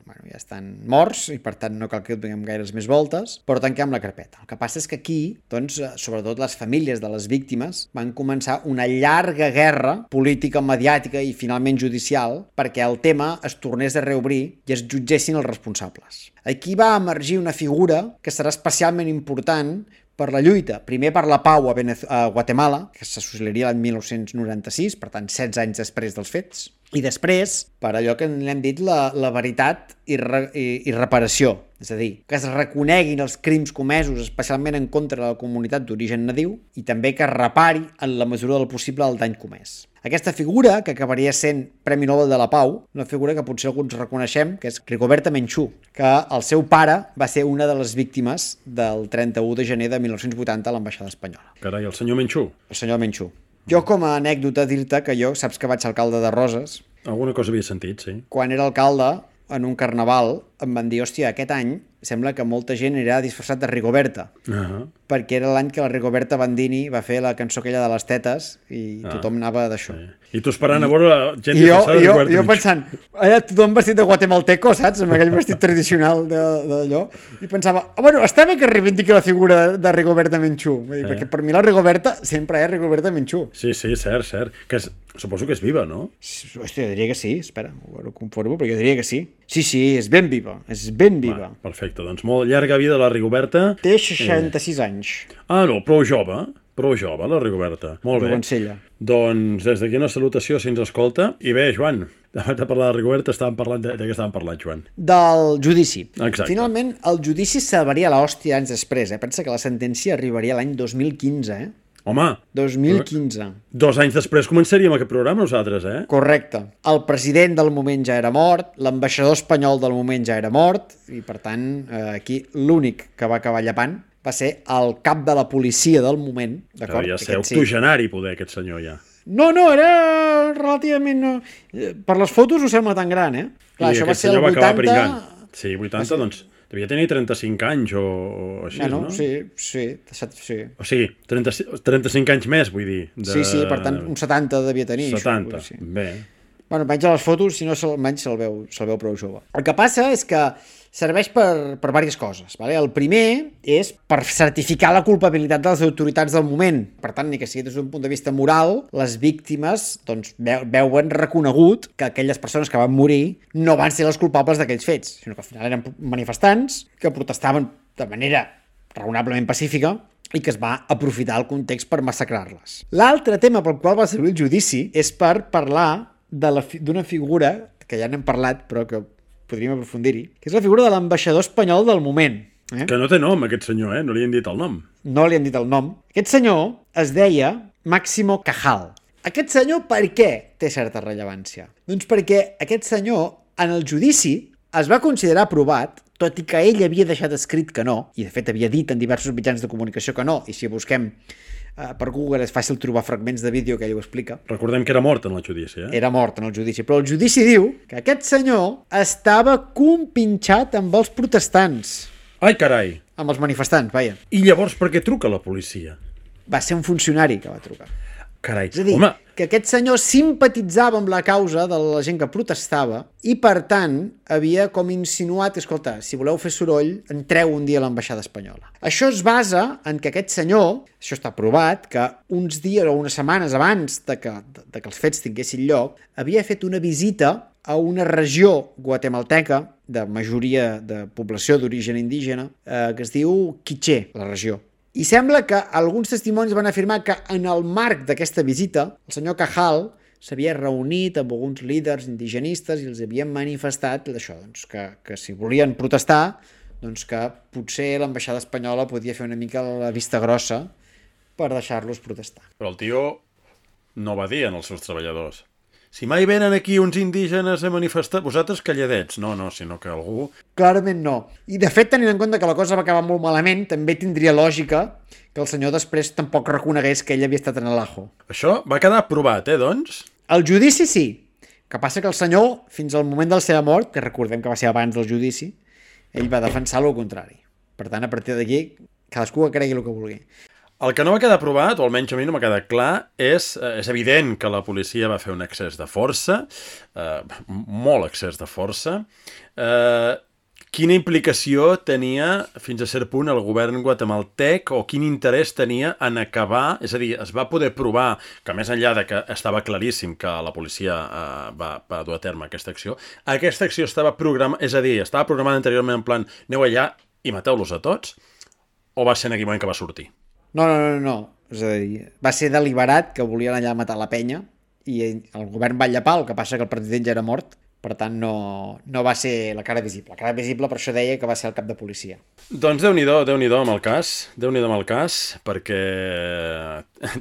bueno, ja estan morts i per tant no cal que donem gaires més voltes, però tanquem la carpeta. El que passa és que aquí, doncs, sobretot les famílies de les víctimes van començar una llarga guerra política, mediàtica i finalment judicial perquè el tema es tornés a reobrir i es jutgessin els responsables. Aquí va emergir una figura que serà especialment important per la lluita, primer per la pau a, Venez a Guatemala, que s'associaria l'any mil nou-cents noranta-sis, per tant setze anys després dels fets, i després per allò que n'hem dit la, la veritat i, re, i, i reparació, és a dir, que es reconeguin els crims comesos especialment en contra de la comunitat d'origen nadiu i també que es repari en la mesura del possible el dany comès. Aquesta figura, que acabaria sent Premi Nobel de la Pau, una figura que potser alguns reconeixem, que és Rigoberta Menchú, que el seu pare va ser una de les víctimes del trenta-u de gener de mil nou-cents vuitanta a l'ambaixada espanyola. Carai, el senyor Menchú. El senyor Menchú. Jo, com a anècdota, dir-te que jo, saps que vaig ser alcalde de Roses? Alguna cosa havia sentit, sí. Quan era alcalde, en un carnaval, em van dir, hòstia, aquest any sembla que molta gent anirà disfressat de Rigoberta, Uh-huh. perquè era l'any que la Rigoberta Bandini va fer la cançó aquella de les tetes i ah, tothom anava d'això. Sí. I tu esperant a veure la gent I jo, disfressada de jo, Rigoberta jo Menchú. pensant, allà tothom vestit de guatemalteco, saps? Amb aquell vestit tradicional d'allò. I pensava, oh, bueno, està bé que reivindiqui la figura de Rigoberta Menchú, eh. perquè per mi la Rigoberta sempre és Rigoberta Menchú. Sí, sí, cert, cert. Que és, suposo que és viva, no? Hòstia, jo diria que sí, espera, ho conformo, però jo diria que sí. Sí, sí, és ben viva, és ben viva. Va, perfecte, doncs molt llarga vida la Rigoberta. Té seixanta-sis eh. anys. Ah, no, prou jove, prou jove la Rigoberta. Molt bé. Jovencella. Doncs des d'aquí una salutació si ens escolta. I bé, Joan, abans de parlar de Rigoberta estàvem parlant de, de què estàvem parlant, Joan? Del judici. Exacte. Finalment, el judici salvaria l'hòstia anys després, eh? Pensa que la sentència arribaria l'any dos mil quinze, eh? Home, dos mil quinze. Dos anys després començaríem aquest programa nosaltres, eh? Correcte. El president del moment ja era mort, l'ambaixador espanyol del moment ja era mort, i per tant, eh, aquí l'únic que va acabar llepant va ser el cap de la policia del moment, d'acord? Ja ser octogenari, poder, aquest senyor, ja. No, no, era relativament... No. Per les fotos ho sembla tan gran, eh? Clar, I això va aquest ser el senyor va acabar vuitanta... pringant. Sí, vuitanta, doncs... Devia tenir trenta-cinc anys o, o així, bueno, no? Sí, sí, sí. O sigui, trenta, trenta-cinc anys més, vull dir. De... Sí, sí, per tant, un setanta devia tenir. setanta, això, sí. Bé. Bueno, almenys a les fotos, si no, almenys se'l veu, se veu prou jove. El que passa és que serveix per, per diverses coses. Vale? El primer és per certificar la culpabilitat de les autoritats del moment. Per tant, ni que sigui des d'un punt de vista moral, les víctimes doncs, veuen reconegut que aquelles persones que van morir no van ser les culpables d'aquells fets, sinó que al final eren manifestants que protestaven de manera raonablement pacífica i que es va aprofitar el context per massacrar-les. L'altre tema pel qual va servir el judici és per parlar d'una figura, que ja n'hem parlat, però que podríem aprofundir-hi, que és la figura de l'ambaixador espanyol del moment. Eh? Que no té nom, aquest senyor, eh? No li han dit el nom. No li han dit el nom. Aquest senyor es deia Máximo Cajal. Aquest senyor per què té certa rellevància? Doncs perquè aquest senyor, en el judici, es va considerar aprovat, tot i que ell havia deixat escrit que no, i de fet havia dit en diversos mitjans de comunicació que no, i si busquem uh, per Google és fàcil trobar fragments de vídeo que ell ho explica. Recordem que era mort en el judici, eh? Era mort en el judici, però el judici diu que aquest senyor estava compinxat amb els protestants. Ai, carai! Amb els manifestants, vaja. I llavors per què truca la policia? Va ser un funcionari que va trucar. Carai, És a dir, home... que aquest senyor simpatitzava amb la causa de la gent que protestava i, per tant, havia com insinuat, escolta, si voleu fer soroll, entreu un dia a l'ambaixada espanyola. Això es basa en que aquest senyor, això està provat, que uns dies o unes setmanes abans de que, de que els fets tinguessin lloc, havia fet una visita a una regió guatemalteca de majoria de població d'origen indígena eh, que es diu Quiché, la regió. I sembla que alguns testimonis van afirmar que en el marc d'aquesta visita el senyor Cajal s'havia reunit amb alguns líders indigenistes i els havien manifestat això, doncs, que, que si volien protestar, doncs que potser l'ambaixada espanyola podia fer una mica la vista grossa per deixar-los protestar. Però el tio no va dir als seus treballadors: si mai venen aquí uns indígenes a manifestar, vosaltres calladets. No, no, sinó que algú... Clarament no. I de fet, tenint en compte que la cosa va acabar molt malament, també tindria lògica que el senyor després tampoc reconegués que ell havia estat en l'Ajo. Això va quedar aprovat, eh, doncs? El judici sí, que passa que el senyor, fins al moment de la seva mort, que recordem que va ser abans del judici, ell va defensar el contrari. Per tant, a partir d'aquí, cadascú que cregui el que vulgui. El que no va quedar provat, o almenys a mi no m'ha quedat clar, és, és evident que la policia va fer un excés de força, eh, molt excés de força. Eh, quina implicació tenia, fins a cert punt, el govern guatemaltec, o quin interès tenia en acabar, és a dir, es va poder provar que més enllà de que estava claríssim que la policia eh, va, va dur a terme aquesta acció, aquesta acció estava programada, és a dir, estava programada anteriorment en plan, aneu allà i mateu-los a tots, o va ser en aquell moment que va sortir? No, no, no, no. És a dir, va ser deliberat que volien allà matar la penya i el govern va llepar, el que passa que el president ja era mort, per tant no, no va ser la cara visible. La cara visible per això deia que va ser el cap de policia. Doncs Déu-n'hi-do, Déu-n'hi-do amb el cas, Déu-n'hi-do amb el cas, perquè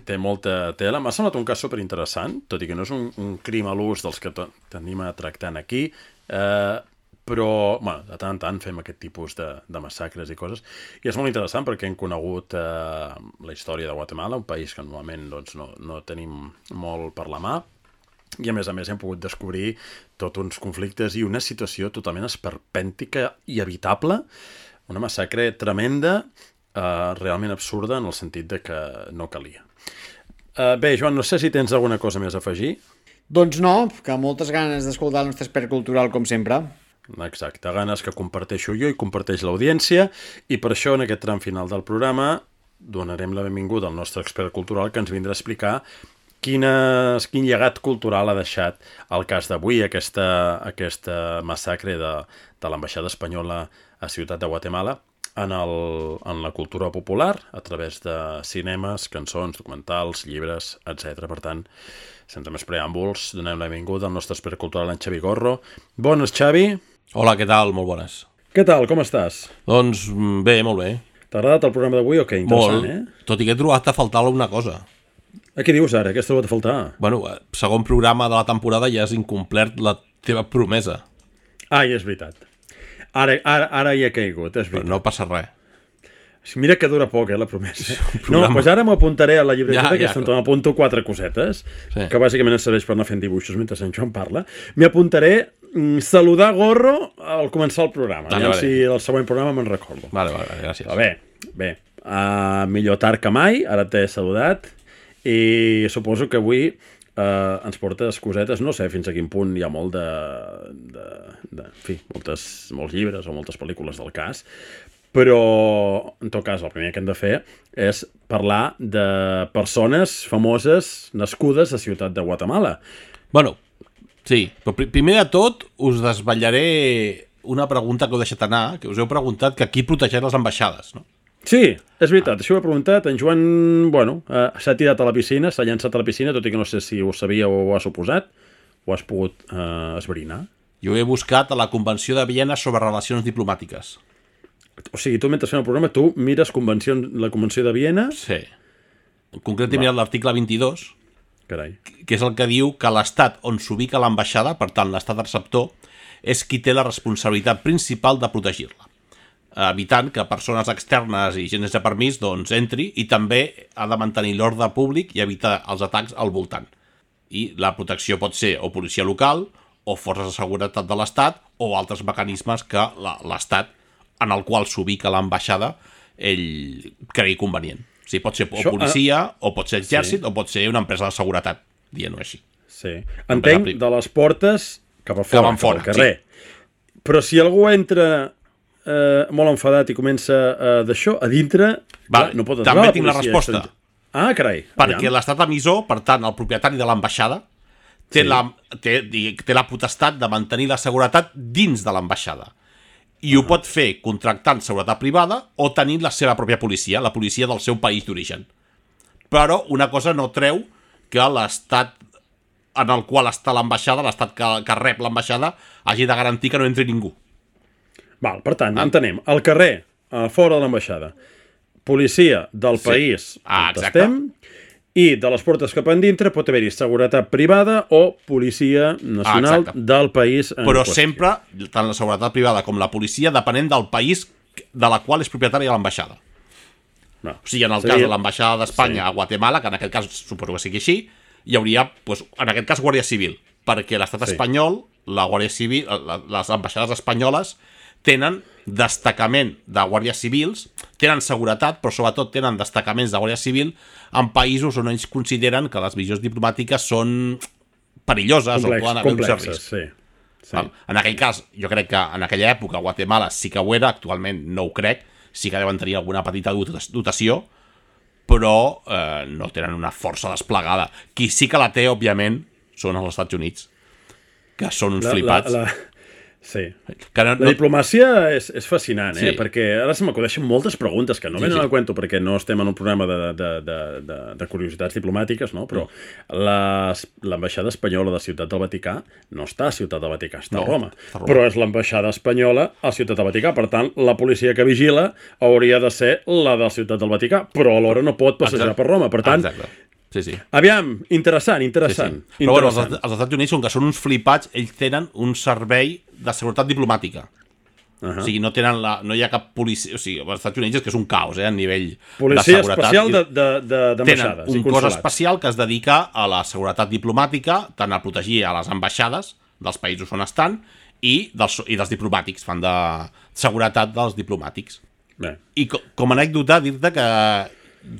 té molta tela. M'ha semblat un cas superinteressant, tot i que no és un, un crim a l'ús dels que tenim a tractant aquí, eh, però, bueno, de tant en tant fem aquest tipus de, de massacres i coses, i és molt interessant perquè hem conegut eh, la història de Guatemala, un país que normalment doncs, no, no tenim molt per la mà, i a més a més hem pogut descobrir tots uns conflictes i una situació totalment esperpèntica i evitable, una massacre tremenda, eh, realment absurda en el sentit de que no calia. Eh, bé, Joan, no sé si tens alguna cosa més a afegir. Doncs no, que moltes ganes d'escoltar el nostre expert cultural com sempre. Exacte, ganes que comparteixo jo i comparteix l'audiència, i per això en aquest tram final del programa donarem la benvinguda al nostre expert cultural que ens vindrà a explicar quines, quin llegat cultural ha deixat el cas d'avui, aquesta, aquesta massacre de, de l'ambaixada espanyola a Ciutat de Guatemala en, el, en la cultura popular a través de cinemes, cançons, documentals, llibres, etcètera. Per tant, sense més preàmbuls, donem la benvinguda al nostre expert cultural, en Xavi Gorro. Bones, Xavi. Hola, què tal? Molt bones. Què tal? Com estàs? Doncs bé, molt bé. T'ha agradat el programa d'avui o què? Interessant, molt, eh? Tot i que he trobat a faltar alguna cosa. A què dius ara? Què has trobat a faltar? Bueno, segon programa de la temporada ja has incomplert la teva promesa. Ai, és veritat. Ara, ara, ara hi he caigut, és veritat. Però no passa res. Mira que dura poc, eh, la promesa. No, doncs ara m'apuntaré a la llibreta, ja, ja, que m'apunto quatre cosetes, sí, que bàsicament ens serveix per anar fent dibuixos mentre en Joan parla. M'hi apuntaré mm, saludar Gorro al començar el programa. Vale, vale. Si el següent programa me'n recordo. Vale, vale, gràcies. Però bé, bé. Uh, millor tard que mai, ara t'he saludat, i suposo que avui uh, ens portes cosetes, no sé fins a quin punt hi ha molt de... de, de en fi, moltes, molts llibres o moltes pel·lícules del cas, però, en tot cas, el primer que hem de fer és parlar de persones famoses nascudes a Ciutat de Guatemala. Bueno, sí, però primer de tot us desvetllaré una pregunta que heu deixat anar, que us heu preguntat que qui protegeix les ambaixades, no? Sí, és veritat, ah. Això ho he preguntat. En Joan, bueno, eh, s'ha tirat a la piscina, s'ha llançat a la piscina, tot i que no sé si ho sabia o ho ha suposat, o has pogut eh, esbrinar. Jo he buscat a la Convenció de Viena sobre relacions diplomàtiques. O sigui, tu mentre fem el programa, tu mires convencions, la Convenció de Viena? Sí. En concret he mirat l'article vint-i-dos, Carai. Que és el que diu que l'estat on s'ubica l'ambaixada, per tant l'estat receptor, és qui té la responsabilitat principal de protegir-la, evitant que persones externes i gent sense permís doncs entri, i també ha de mantenir l'ordre públic i evitar els atacs al voltant. I la protecció pot ser o policia local, o forces de seguretat de l'estat, o altres mecanismes que l'estat en el qual s'ubica l'ambaixada ell cregui convenient. O sigui, pot ser o policia, o pot ser exèrcit, sí, o pot ser una empresa de seguretat, dient-ho així. Sí. Entenc de les portes cap a fora, cap, fora, cap al carrer. Sí. Però si algú entra eh, molt enfadat i comença eh, d'això, a dintre, vale, no pot també tinc la resposta. Ah, carai. Perquè allà, l'estat emissor, per tant, el propietari de l'ambaixada, té, sí, la, té, té la potestat de mantenir la seguretat dins de l'ambaixada. I ho pot fer contractant seguretat privada o tenint la seva pròpia policia, la policia del seu país d'origen. Però una cosa no treu que l'estat en el qual està l'ambaixada, l'estat que, que rep l'ambaixada, hagi de garantir que no entri ningú. Val, per tant, ah. entenem, al carrer, a fora de l'ambaixada, policia del, sí, país ah, on estem, i de les portes cap endintre pot haver-hi seguretat privada o policia nacional ah, del país en però qüestió. Sempre, tant la seguretat privada com la policia, depenent del país de la qual és propietària l'ambaixada. No. O sigui, en el Seria... cas de l'ambaixada d'Espanya, sí, a Guatemala, que en aquest cas suposo que sigui així, hi hauria, doncs, en aquest cas, Guàrdia Civil, perquè l'estat Sí. espanyol, la Guàrdia Civil, la, les ambaixades espanyoles tenen destacament de guàrdies civils, tenen seguretat, però sobretot tenen destacaments de guàrdia civil en països on ells consideren que les missions diplomàtiques són perilloses Complex, o poden haver un cert complexes, risc. sí. sí. Val? En aquell cas, jo crec que en aquella època Guatemala sí que ho era, actualment no ho crec, sí que deuen tenir alguna petita dotació, però eh, no tenen una força desplegada. Qui sí que la té, òbviament, són els Estats Units, que són uns La, flipats. la, la... Sí. Que no, La no... diplomàcia és, és fascinant, eh? Sí. Perquè ara se m'acudeixen moltes preguntes que no Sí, venen sí. al cuento perquè no estem en un programa de, de, de, de, de curiositats diplomàtiques, no? Però les- l'ambaixada espanyola de Ciutat del Vaticà no està a Ciutat del Vaticà, està No, a Roma. està a Roma. Però és l'ambaixada espanyola a Ciutat del Vaticà. Per tant, la policia que vigila hauria de ser la de Ciutat del Vaticà, però alhora no pot passejar Exacte. per Roma. Per tant, Exacte. Sí, sí. aviam, interessant, Sí, interessant. sí. Però bueno, els, interessant. els Estats Units, com que són uns flipats, ells tenen un servei de seguretat diplomàtica. Uh -huh. O sigui, no tenen la, no hi ha cap policia... O sigui, als Estats Units és que és un caos, eh, a nivell Policia de seguretat. especial I de- de- de- d'ambaixades Tenen i un cos consolats. especial que es dedica a la seguretat diplomàtica, tant a protegir a les ambaixades dels països on estan i dels, i dels diplomàtics, fan de seguretat dels diplomàtics. Bé. I co com a anècdota, dir-te que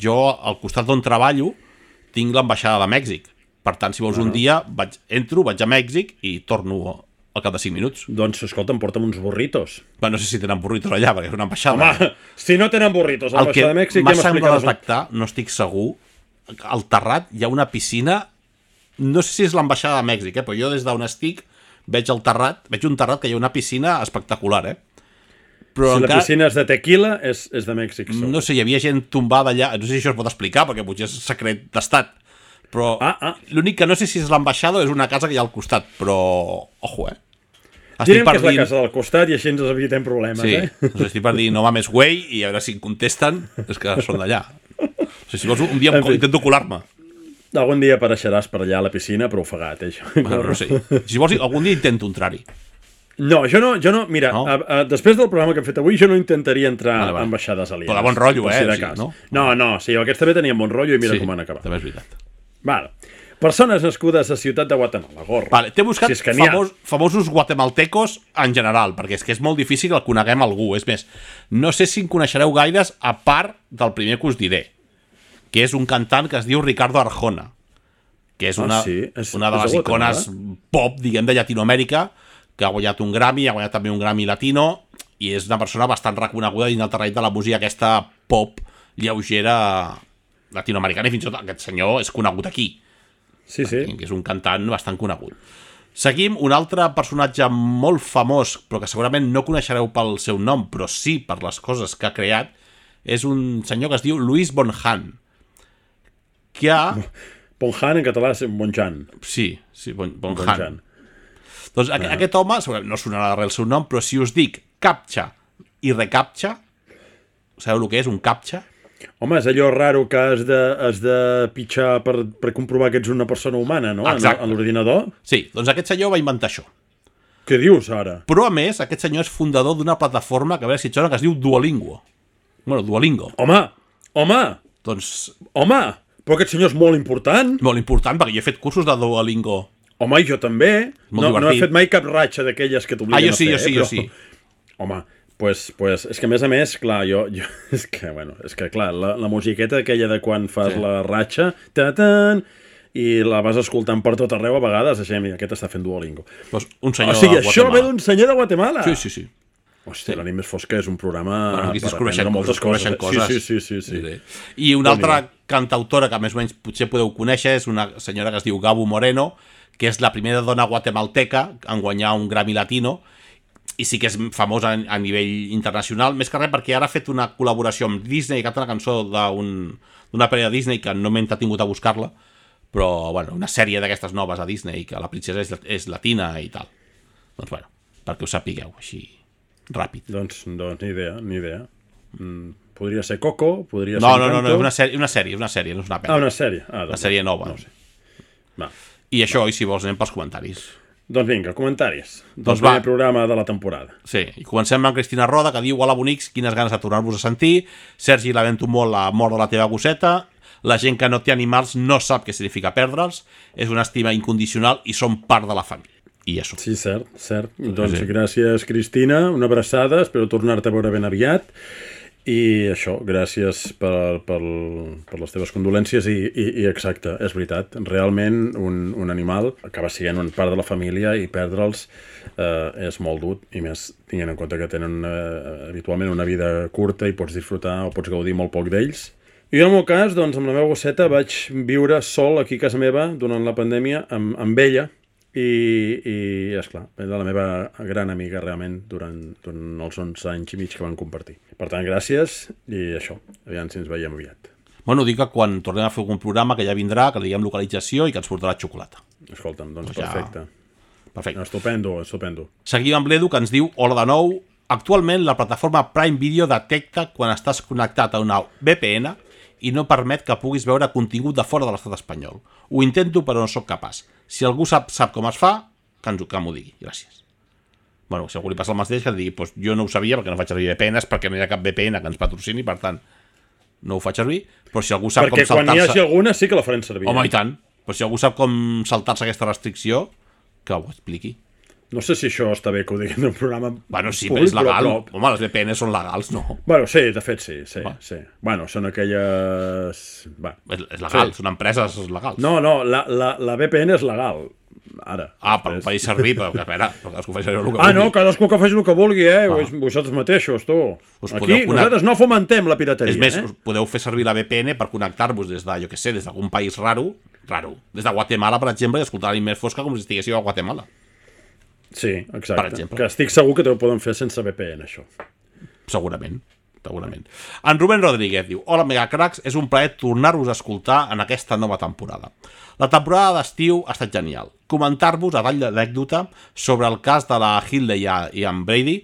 jo, al costat d'on treballo, tinc l'ambaixada de Mèxic. Per tant, si vols un dia, vaig, entro, vaig a Mèxic i torno al cap de cinc minuts. Doncs, escolta'm, porta'm uns burritos. Bé, no sé si tenen burritos allà, perquè és una ambaixada. Home, si no tenen burritos a El que l'ambaixada de Mèxic, m'ha ja semblat m'explicaràs. detectar, no estic segur, al terrat hi ha una piscina, no sé si és l'ambaixada de Mèxic, eh, però jo des d'on estic veig el terrat, veig un terrat que hi ha una piscina espectacular, eh? Però Si la encara, piscina és de tequila, és, és de Mèxic. segur. no sé, hi havia gent tombada allà, no sé si això es pot explicar, perquè potser és secret d'estat, però Ah, ah. l'únic que no sé si és l'ambaixada o és una casa que hi ha al costat, però, ojo, eh? Direm que és la casa del costat i així ens evitem problemes, Sí, eh? doncs estic per dir no mames güey i a veure si em contesten, és que són d'allà. O sigui, si vols un dia En fi. intento colar-me. Algun dia apareixeràs per allà a la piscina, però ofegat, eh, això. Bueno, no sé. Si vols, algun dia intento entrar-hi. No, jo no, jo no mira, No? A, a, després del programa que hem fet avui, jo no intentaria entrar Vale, vale. a ambaixades alienes. Però de bon rotllo, per eh, Si de o sigui, cas. no? no, no, sí, aquests també tenien bon rotllo i mira Sí, com han acabat. també és veritat. Vale. Persones nascudes a Ciutat de Guatemala, gorro. Vale, t'he buscat Si si és que n'hi ha. famós, famosos guatemaltecos en general, perquè és que és molt difícil que el coneguem algú. És més, no sé si en coneixereu gaires a part del primer que us diré, que és un cantant que es diu Ricardo Arjona, que és Ah, una, sí? És- una de és de les Guatemala? icones pop, diguem, de Llatinoamèrica, que ha guanyat un Grammy, ha guanyat també un Grammy latino, i és una persona bastant reconeguda dins del terreny de la música aquesta pop lleugera latinoamericana, i fins i tot aquest senyor és conegut aquí, Sí, sí. que és un cantant bastant conegut. Seguim un altre personatge molt famós, però que segurament no coneixereu pel seu nom, però sí per les coses que ha creat, és un senyor que es diu Luis Bonjan, que ha... Bonjan en català és Bonjan. Sí, sí, bon, Bonjan. Bonjan. Doncs aqu aquest home, segurament no sonarà res el seu nom, però si us dic captcha i recaptcha, sabeu el que és un captcha? Home, és allò raro que has de, has de pitjar per, per comprovar que ets una persona humana, no? Exacte. A l'ordinador. Sí, doncs aquest senyor va inventar això. Què dius, ara? Però, a més, aquest senyor és fundador d'una plataforma que a veure si et sona, que es diu Duolingo. Bueno, Duolingo. Home, home, Doncs, home, però aquest senyor és molt important. molt important, perquè jo he fet cursos de Duolingo. Home, i jo també. Molt No, no he divertit. fet mai cap ratxa d'aquelles que t'obliguen Ah, jo a sí, fer. jo sí, eh? jo Però- sí. Home, pues, pues, és que a més a més, clar, jo, jo és que, bueno, és que clar, la, la musiqueta aquella de quan fas Sí. la ratxa, ta-tan, i la vas escoltant per tot arreu a vegades, així, mira, aquest està fent Duolingo. Doncs un senyor O sigui, de això ve Guatemala. d'un senyor de Guatemala. Sí, sí, sí. Hòstia, l'Ànim més fosca és un programa Bueno, aquí per descobreixen aprendre moltes coses. descobreixen eh? coses. Sí, sí, sí, sí, sí. Sí. I una Déu-n'hi-do. altra cantautora que més o menys potser podeu conèixer és una senyora que es diu Gabo Moreno, que és la primera dona guatemalteca en guanyar un Grammy Latino, i sí que és famosa a a nivell internacional, més que res perquè ara ha fet una col·laboració amb Disney, que ha una cançó d'una un, parella de Disney que no m'he entretingut a buscar-la, però bueno, una sèrie d'aquestes noves a Disney, que la princesa és, és latina i tal. Doncs bueno, perquè ho sapigueu així ràpid. Doncs, doncs ni idea, ni idea. Mm, podria ser Coco, podria No, ser no, no, no, Encanto. és una sèrie, una sèrie, una sèrie, no és una Ah, pel·li. una sèrie. Ah, Una doncs, sèrie nova. No ho sé. Va. I això, i si vols, anem pels comentaris. Doncs vinga, comentaris. Del Doncs primer va. programa de la temporada. Sí, i comencem amb Cristina Roda, que diu: hola, bonics, quines ganes de tornar-vos a sentir. Sergi, lamento molt la mort de la teva gosseta. La gent que no té animals no sap què significa perdre'ls, és una estima incondicional i són part de la família. I això. Sí, cert, cert. Doncs sí. Gràcies, Cristina, una abraçada, espero tornar-te a veure ben aviat. I això, gràcies per, per, per les teves condolències i, i, i exacte, és veritat, realment un, un animal acaba sent una part de la família i perdre'ls eh, és molt dur, i més tenint en compte que tenen eh, habitualment una vida curta i pots disfrutar o pots gaudir molt poc d'ells. I en el meu cas, doncs, amb la meva gosseta vaig viure sol aquí a casa meva durant la pandèmia amb, amb ella, i, i esclar, era la meva gran amiga realment durant, durant els onze anys i mig que van compartir. Per tant, gràcies i això, aviam si ens veiem aviat. Bueno, dic que quan tornem a fer algun programa que ja vindrà, que li diguem localització i que ens portarà xocolata. Escolta'm, doncs ja... perfecte. Perfecte. Estupendo, estupendo. Seguim amb l'Edu, que ens diu, hola de nou, actualment la plataforma Prime Video detecta quan estàs connectat a una V P N i no permet que puguis veure contingut de fora de l'estat espanyol. Ho intento, però no sóc capaç. Si algú sap, sap com es fa, que, ens, que m'ho digui. Gràcies. Bueno, si algú li passa el mateix, que digui, pues, jo no ho sabia perquè no faig servir V P Ns, perquè no hi ha cap V P N que ens patrocini, per tant, no ho faig servir. Però si algú sap perquè com saltar-se... Perquè quan hi hagi alguna sí que la farem servir. Home, i tant. Però si algú sap com saltar-se aquesta restricció, que ho expliqui. No sé si això està bé que ho diguem en un programa bueno, sí, públic, però és legal. Però, però... Home, les V P Ns són legals, no? Bueno, sí, de fet sí, sí, Va. sí. Bueno, són aquelles... Bueno, és, és legal, sí. Són empreses legals. No, no, la, la, la V P N és legal. Ara. Ah, per fer servir, però que espera, cadascú faci el que vulgui. Ah, no, cadascú que faci el que vulgui, eh? Ah. Vosaltres mateixos, tu. Us Aquí connect... nosaltres no fomentem la pirateria, és més, eh? us podeu fer servir la V P N per connectar-vos des de, jo què sé, des d'algun país raro, raro, des de Guatemala, per exemple, i escoltar l'Inmés Fosca com si estiguéssiu a Guatemala. Sí, exacte. Per exemple. Que estic segur que ho poden fer sense V P N, això. Segurament, segurament. En Rubén Rodríguez diu, hola Megacracks, és un plaer tornar-vos a escoltar en aquesta nova temporada. La temporada d'estiu ha estat genial. Comentar-vos a tall d'anècdota sobre el cas de la Hindley i en Brady,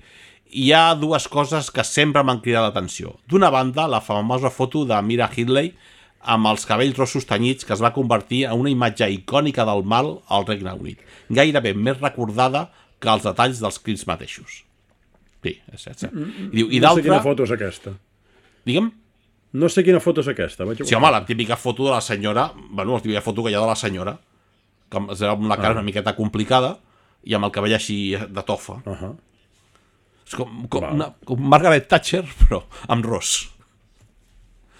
hi ha dues coses que sempre m'han cridat l'atenció. D'una banda, la famosa foto de Mira Hindley amb els cabells rossos tenyits que es va convertir en una imatge icònica del mal al Regne Unit, gairebé més recordada que els detalls dels crims mateixos. Sí, és cert. I diu, i no sé quina d'altra... foto és aquesta. Digue'm? No sé quina foto és aquesta. Vaig Sí, home, la típica foto de la senyora, bueno, la típica foto que hi ha de la senyora, que amb la cara ah. una miqueta complicada i amb el cabell així de tofa. Uh -huh. És com, com, una, com Margaret Thatcher, però amb ros.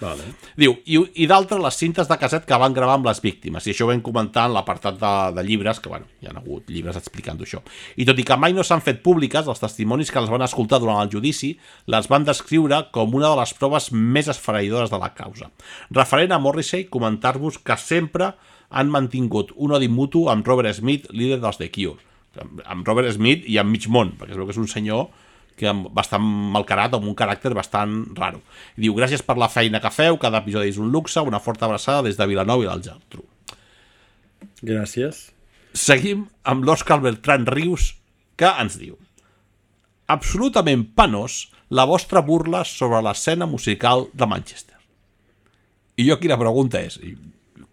Vale. Diu, i, i d'altres les cintes de casset que van gravar amb les víctimes, i això ho vam comentar en l'apartat de, de llibres, que bueno, hi ha hagut llibres explicant això. I tot i que mai no s'han fet públiques, els testimonis que les van escoltar durant el judici les van descriure com una de les proves més esfereïdores de la causa. Referent a Morrissey, comentar-vos que sempre han mantingut un odi mutu amb Robert Smith, líder dels The Cure. Amb Robert Smith i amb mig món, perquè es veu que és un senyor que bastant malcarat, amb un caràcter bastant raro. I diu, gràcies per la feina que feu, cada episodi és un luxe, una forta abraçada des de Vilanova i la Geltrú. Gràcies. Seguim amb l'Òscar Bertran Rius, que ens diu, absolutament penós la vostra burla sobre l'escena musical de Manchester. I jo aquí la pregunta és,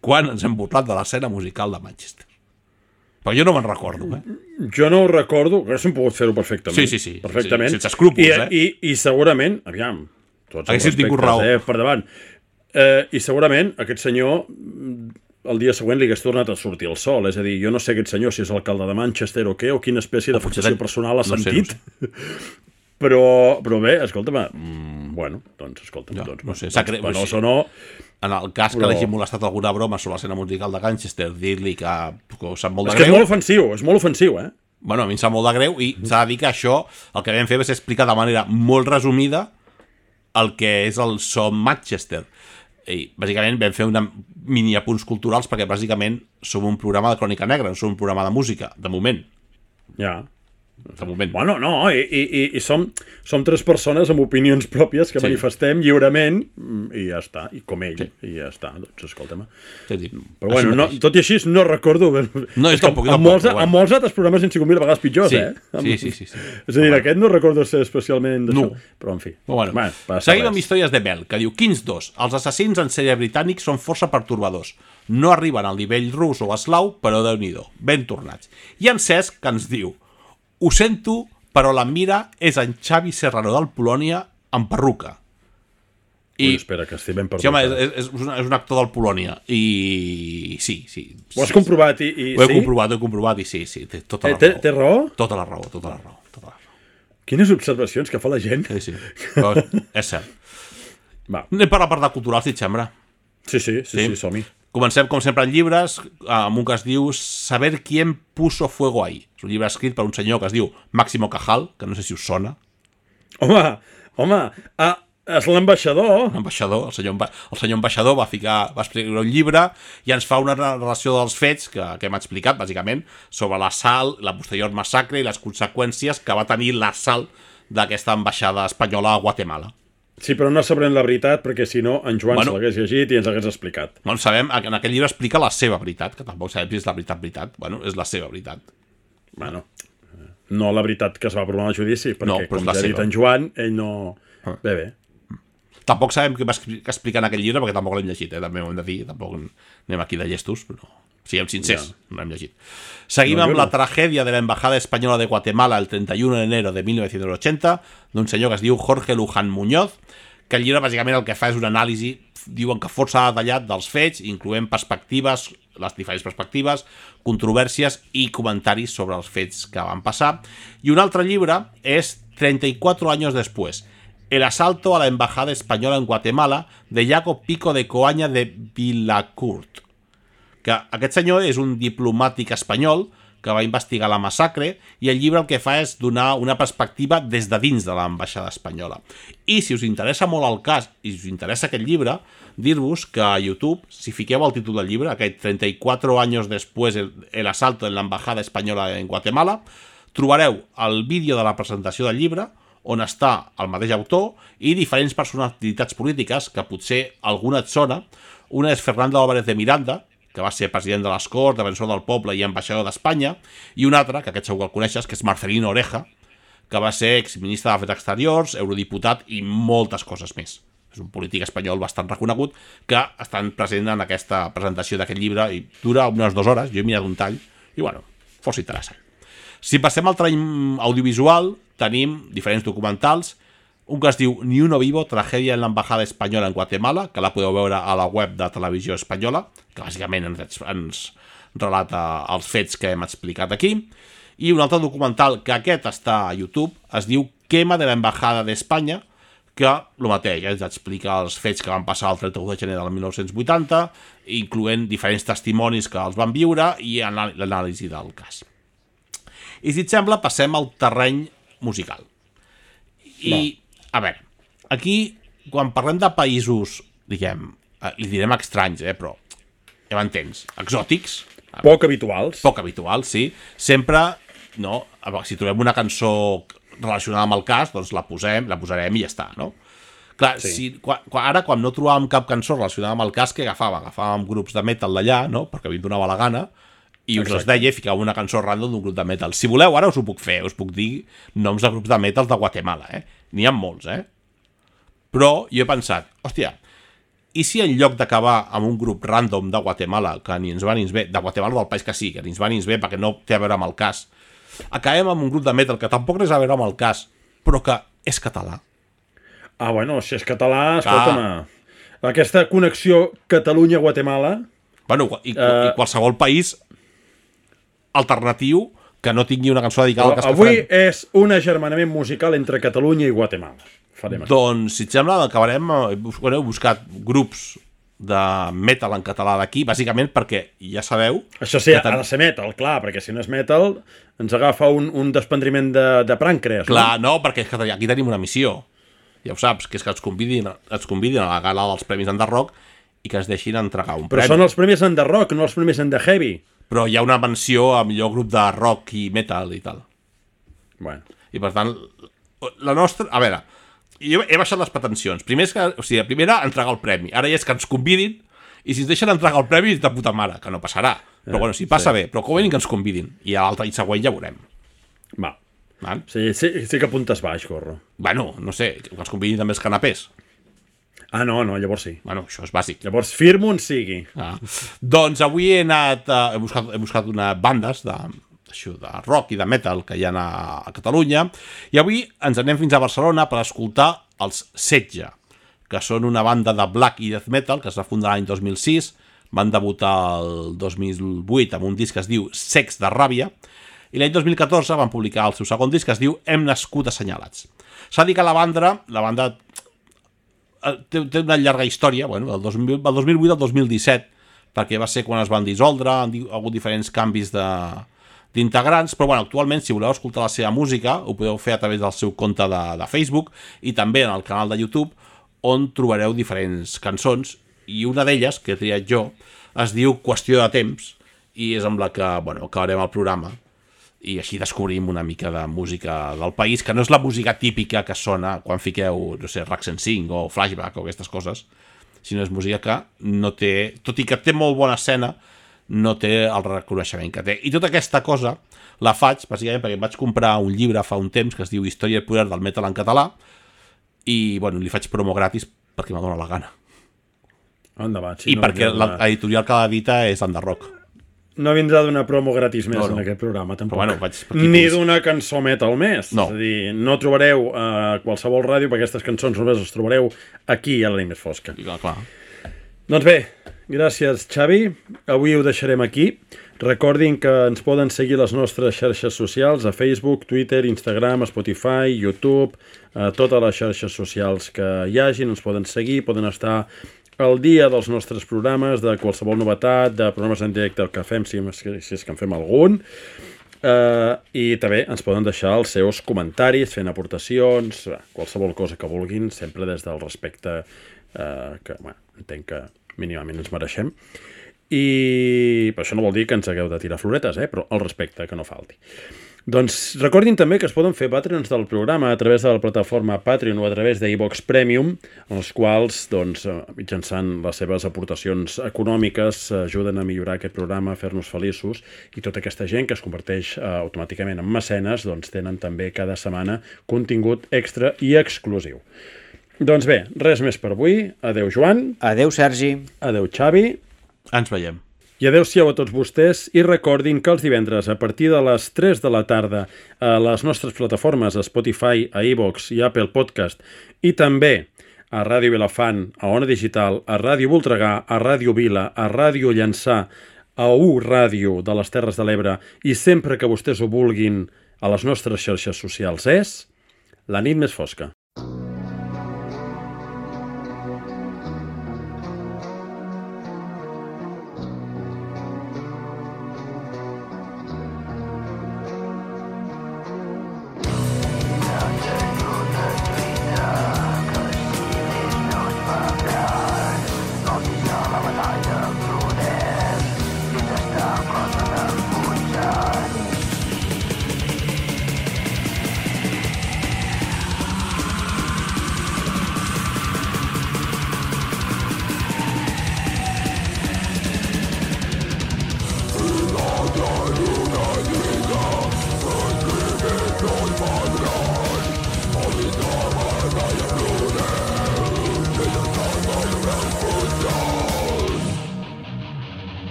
quan ens hem burlat de l'escena musical de Manchester? Però jo no me'n recordo, eh? Jo no ho recordo, haguéssim pogut fer-ho perfectament. Sí, sí, sí. Perfectament. Sí, sense escrúpols, I, eh? I, I segurament, aviam, tots els tingut raó. eh, per davant. Eh, I segurament aquest senyor el dia següent li hagués tornat a sortir el sol. És a dir, jo no sé aquest senyor si és alcalde de Manchester o què, o quina espècie de fixació personal ha no sentit. Sé, no sé. Però, però bé, escolta'm, mm, bueno, doncs escolta'm, no, doncs, no sé, doncs, penós o no... En el cas que però... l'hagi molestat alguna broma sobre l'escena musical de Manchester, dir-li que, que sap molt de és greu... És que és molt ofensiu, és molt ofensiu, eh? Bueno, a mi em sap molt de greu i s'ha de dir que això, el que vam fer va ser explicar de manera molt resumida el que és el so Manchester. I bàsicament vam fer una mini apunts culturals perquè bàsicament som un programa de crònica negra, no som un programa de música, de moment. Ja. De moment. Bueno, no, i, i, i som, som tres persones amb opinions pròpies que sí. manifestem lliurement i ja està, i com ell, sí. i ja està, doncs escolta'm. Sí, sí. Però bueno, no, tot i així no recordo... No, és tampoc, amb, tampoc, molts, bueno. amb molts altres programes han sigut mil vegades pitjors, sí. eh? Amb... Sí, sí, sí, sí. És a dir, aquest no recordo ser especialment d'això, no. però en fi. Bueno, bueno, seguim amb històries de Bell, que diu Kings dos. Els assassins en sèrie britànics són força pertorbadors. No arriben al nivell rus o eslau, però Déu-n'hi-do, ben tornats. I en Cesc, que ens diu, ho sento, però la mira és en Xavi Serrano del Polònia amb perruca. I... Ui, espera, que estic ben perdut. Sí, home, és, és, un, és un actor del Polònia. I sí, sí. Ho has sí, comprovat i, i ho he sí? comprovat, ho he comprovat i sí, sí, té tota la eh, té, raó. Té raó? Tota la raó, tota la raó, tota la raó. Quines observacions que fa la gent. Sí, sí, però és cert. Va. Anem per la part de cultural, si et sembla. Sí, sí, sí, sí, sí som-hi. Comencem, com sempre, en llibres, amb un que es diu Saber quién puso fuego ahí. És un llibre escrit per un senyor que es diu Máximo Cajal, que no sé si us sona. Home, home, ah, és l'ambaixador. L'ambaixador, el senyor, el senyor ambaixador va ficar, va escriure un llibre i ens fa una relació dels fets que, que hem explicat, bàsicament, sobre l'assalt, la posterior massacre i les conseqüències que va tenir l'assalt d'aquesta ambaixada espanyola a Guatemala. Sí, però no sabrem la veritat, perquè si no, en Joan bueno, se l'hagués llegit i ens l'hagués explicat. Bueno, sabem, en aquell llibre explica la seva veritat, que tampoc sabem si és la veritat, veritat. Bueno, és la seva veritat. Bueno, no la veritat que es va provar al judici, perquè, no, com ja ha dit en Joan, ell no... Ah. Bé, bé. Tampoc sabem què va explicar en aquell llibre, perquè tampoc l'hem llegit, eh? També ho hem de dir, tampoc anem aquí de llestos, però siguem sincers, ja. No l'hem llegit. Seguim no, amb no. la tragèdia de la Embajada Espanyola de Guatemala el trenta y uno de enero de mil novecientos ochenta, d'un senyor que es diu Jorge Luján Muñoz, que el llibre bàsicament el que fa és una anàlisi, diuen que força detallat dels fets, incloent perspectives, les diferents perspectives, controvèrsies i comentaris sobre els fets que van passar. I un altre llibre és treinta y cuatro años después, El asalto a la embajada española en Guatemala, de Jacob Pico de Coaña de Vilacourt. Que aquest senyor és un diplomàtic espanyol que va investigar la massacre i el llibre el que fa és donar una perspectiva des de dins de l'ambaixada espanyola. I si us interessa molt el cas i si us interessa aquest llibre, dir-vos que a YouTube, si fiqueu el títol del llibre, aquest treinta y cuatro años después el, el asalto en la embajada espanyola en Guatemala, trobareu el vídeo de la presentació del llibre, on està el mateix autor i diferents personalitats polítiques que potser alguna et sona. Una és Fernando Álvarez de Miranda, que va ser president de les Corts, defensor del poble i ambaixador d'Espanya, i un altre, que aquest segur que el coneixes, que és Marcelino Oreja, que va ser exministre d'Afers Exteriors, eurodiputat i moltes coses més. És un polític espanyol bastant reconegut que estan present en aquesta presentació d'aquest llibre i dura unes dues hores, jo he mirat un tall, i bueno, força interessant. Si passem al terreny audiovisual, tenim diferents documentals, un que es diu Ni uno vivo, tragèdia en l'embajada espanyola en Guatemala, que la podeu veure a la web de Televisió Espanyola, que bàsicament ens, ens relata els fets que hem explicat aquí, i un altre documental, que aquest està a YouTube, es diu Quema de la embajada d'Espanya, que el mateix, ens explica els fets que van passar el trenta-u de gener del mil nou-cents vuitanta, incloent diferents testimonis que els van viure i l'anàlisi del cas. I si et sembla, passem al terreny musical. I, no. a veure, aquí, quan parlem de països, diguem, li direm estranys, eh, però ja m'entens, exòtics. Poc habituals. Poc habituals, sí. Sempre, no, si trobem una cançó relacionada amb el cas, doncs la posem, la posarem i ja està, no? Clar, sí. si, quan, ara, quan no trobàvem cap cançó relacionada amb el cas, què agafàvem? Agafàvem grups de metal d'allà, no?, perquè a mi em donava la gana, i us els deia, ficava una cançó random d'un grup de metal. Si voleu, ara us ho puc fer, us puc dir noms de grups de metal de Guatemala, eh? N'hi ha molts, eh? Però jo he pensat, hòstia, i si en lloc d'acabar amb un grup random de Guatemala, que ni ens va ni ens ve, de Guatemala del país que sí, que ni ens va ni ens ve perquè no té a veure amb el cas, acabem amb un grup de metal que tampoc res a veure amb el cas, però que és català. Ah, bueno, si és català, escolta'm, ah. aquesta connexió Catalunya-Guatemala... Bueno, i, uh... i qualsevol país alternatiu que no tingui una cançó dedicada al cas que farem. Avui és un agermanament musical entre Catalunya i Guatemala. Farem doncs, si et sembla, acabarem... Heu buscat grups de metal en català d'aquí, bàsicament perquè ja sabeu... Això sí, ten... ha de ser metal, clar, perquè si no és metal ens agafa un, un desprendiment de, de pràncreas. Clar, no? no, perquè aquí tenim una missió. Ja ho saps, que és que ens convidin, ens convidin a la gala dels Premis Under Rock i que es deixin entregar un Però premi. Però són els Premis Under Rock, no els Premis Under Heavy. Però hi ha una menció a millor grup de rock i metal i tal. Bueno. I per tant, la nostra... A veure, jo he baixat les pretensions. Primer és que, o sigui, primera, entregar el premi. Ara ja és que ens convidin i si ens deixen entregar el premi és de puta mare, que no passarà. Però bueno, si passa sí. bé, però com venim que ens convidin. I a l'altre i següent ja veurem. Va. Va? Sí, sí, sí que apuntes baix, Gorro. Bueno, no sé, que ens convidin també els canapés. Ah, no, no, llavors sí. Bueno, això és bàsic. Llavors firmo on sigui. Ah. Doncs avui he anat, uh, he buscat, he buscat unes bandes de, això, de rock i de metal que hi ha a, a Catalunya, i avui ens anem fins a Barcelona per escoltar els Setge, que són una banda de black i death metal que es va fundar l'any dos mil sis, van debutar el dos mil vuit amb un disc que es diu Sex de ràbia, i l'any dos mil catorze van publicar el seu segon disc que es diu Hem nascut assenyalats. S'ha dit que la banda, la banda té, té una llarga història, bueno, del dos mil, del dos mil vuit al dos mil disset, perquè va ser quan es van dissoldre, han hagut diferents canvis de d'integrants, però bueno, actualment si voleu escoltar la seva música ho podeu fer a través del seu compte de, de Facebook i també en el canal de YouTube, on trobareu diferents cançons, i una d'elles, que he triat jo, es diu Qüestió de temps, i és amb la que, bueno, acabarem el programa, i així descobrim una mica de música del país, que no és la música típica que sona quan fiqueu, no sé, Rack cent cinc o Flashback o aquestes coses, sinó és música que no té, tot i que té molt bona escena, no té el reconeixement que té. I tota aquesta cosa la faig, bàsicament, perquè vaig comprar un llibre fa un temps que es diu Història i poder del metal en català i, bueno, li faig promo gratis perquè me dóna la gana. Endavant, sí, I no perquè vindrà... l'editorial que l'edita és Underrock. No vindrà d'una promo gratis més no, no. en aquest programa, tampoc. Però, bueno, vaig Ni d'una cançó metal més. No. És a dir, no trobareu a uh, qualsevol ràdio, perquè aquestes cançons només les trobareu aquí a la nit més fosca. I, clar, clar. Doncs bé, gràcies, Xavi. Avui ho deixarem aquí. Recordin que ens poden seguir les nostres xarxes socials a Facebook, Twitter, Instagram, Spotify, YouTube, a totes les xarxes socials que hi hagin. Ens poden seguir, poden estar al dia dels nostres programes, de qualsevol novetat, de programes en directe que fem, si, si és que en fem algun. Uh, I també ens poden deixar els seus comentaris, fent aportacions, qualsevol cosa que vulguin, sempre des del respecte uh, que, bueno, entenc que mínimament ens mereixem. I però això no vol dir que ens hagueu de tirar floretes, eh? Però el respecte que no falti. Doncs recordin també que es poden fer Patreons del programa a través de la plataforma Patreon o a través d'iVox Premium, en els quals, doncs, mitjançant les seves aportacions econòmiques, ajuden a millorar aquest programa, a fer-nos feliços, i tota aquesta gent que es converteix eh, automàticament en mecenes, doncs tenen també cada setmana contingut extra i exclusiu. Doncs bé, res més per avui. Adeu, Joan. Adeu, Sergi. Adeu, Xavi. Ens veiem. I adeu-siau a tots vostès, i recordin que els divendres a partir de les tres de la tarda a les nostres plataformes, a Spotify, a iVox i Apple Podcast, i també a Ràdio Vilafant, a Ona Digital, a Ràdio Voltregà, a Ràdio Vila, a Ràdio Llançà, a U Ràdio de les Terres de l'Ebre, i sempre que vostès ho vulguin a les nostres xarxes socials, és La nit més fosca.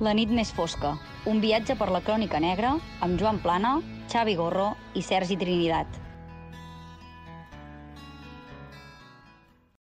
La nit més fosca, un viatge per la crònica negra amb Joan Plana, Xavi Gorro i Sergi Trinidat.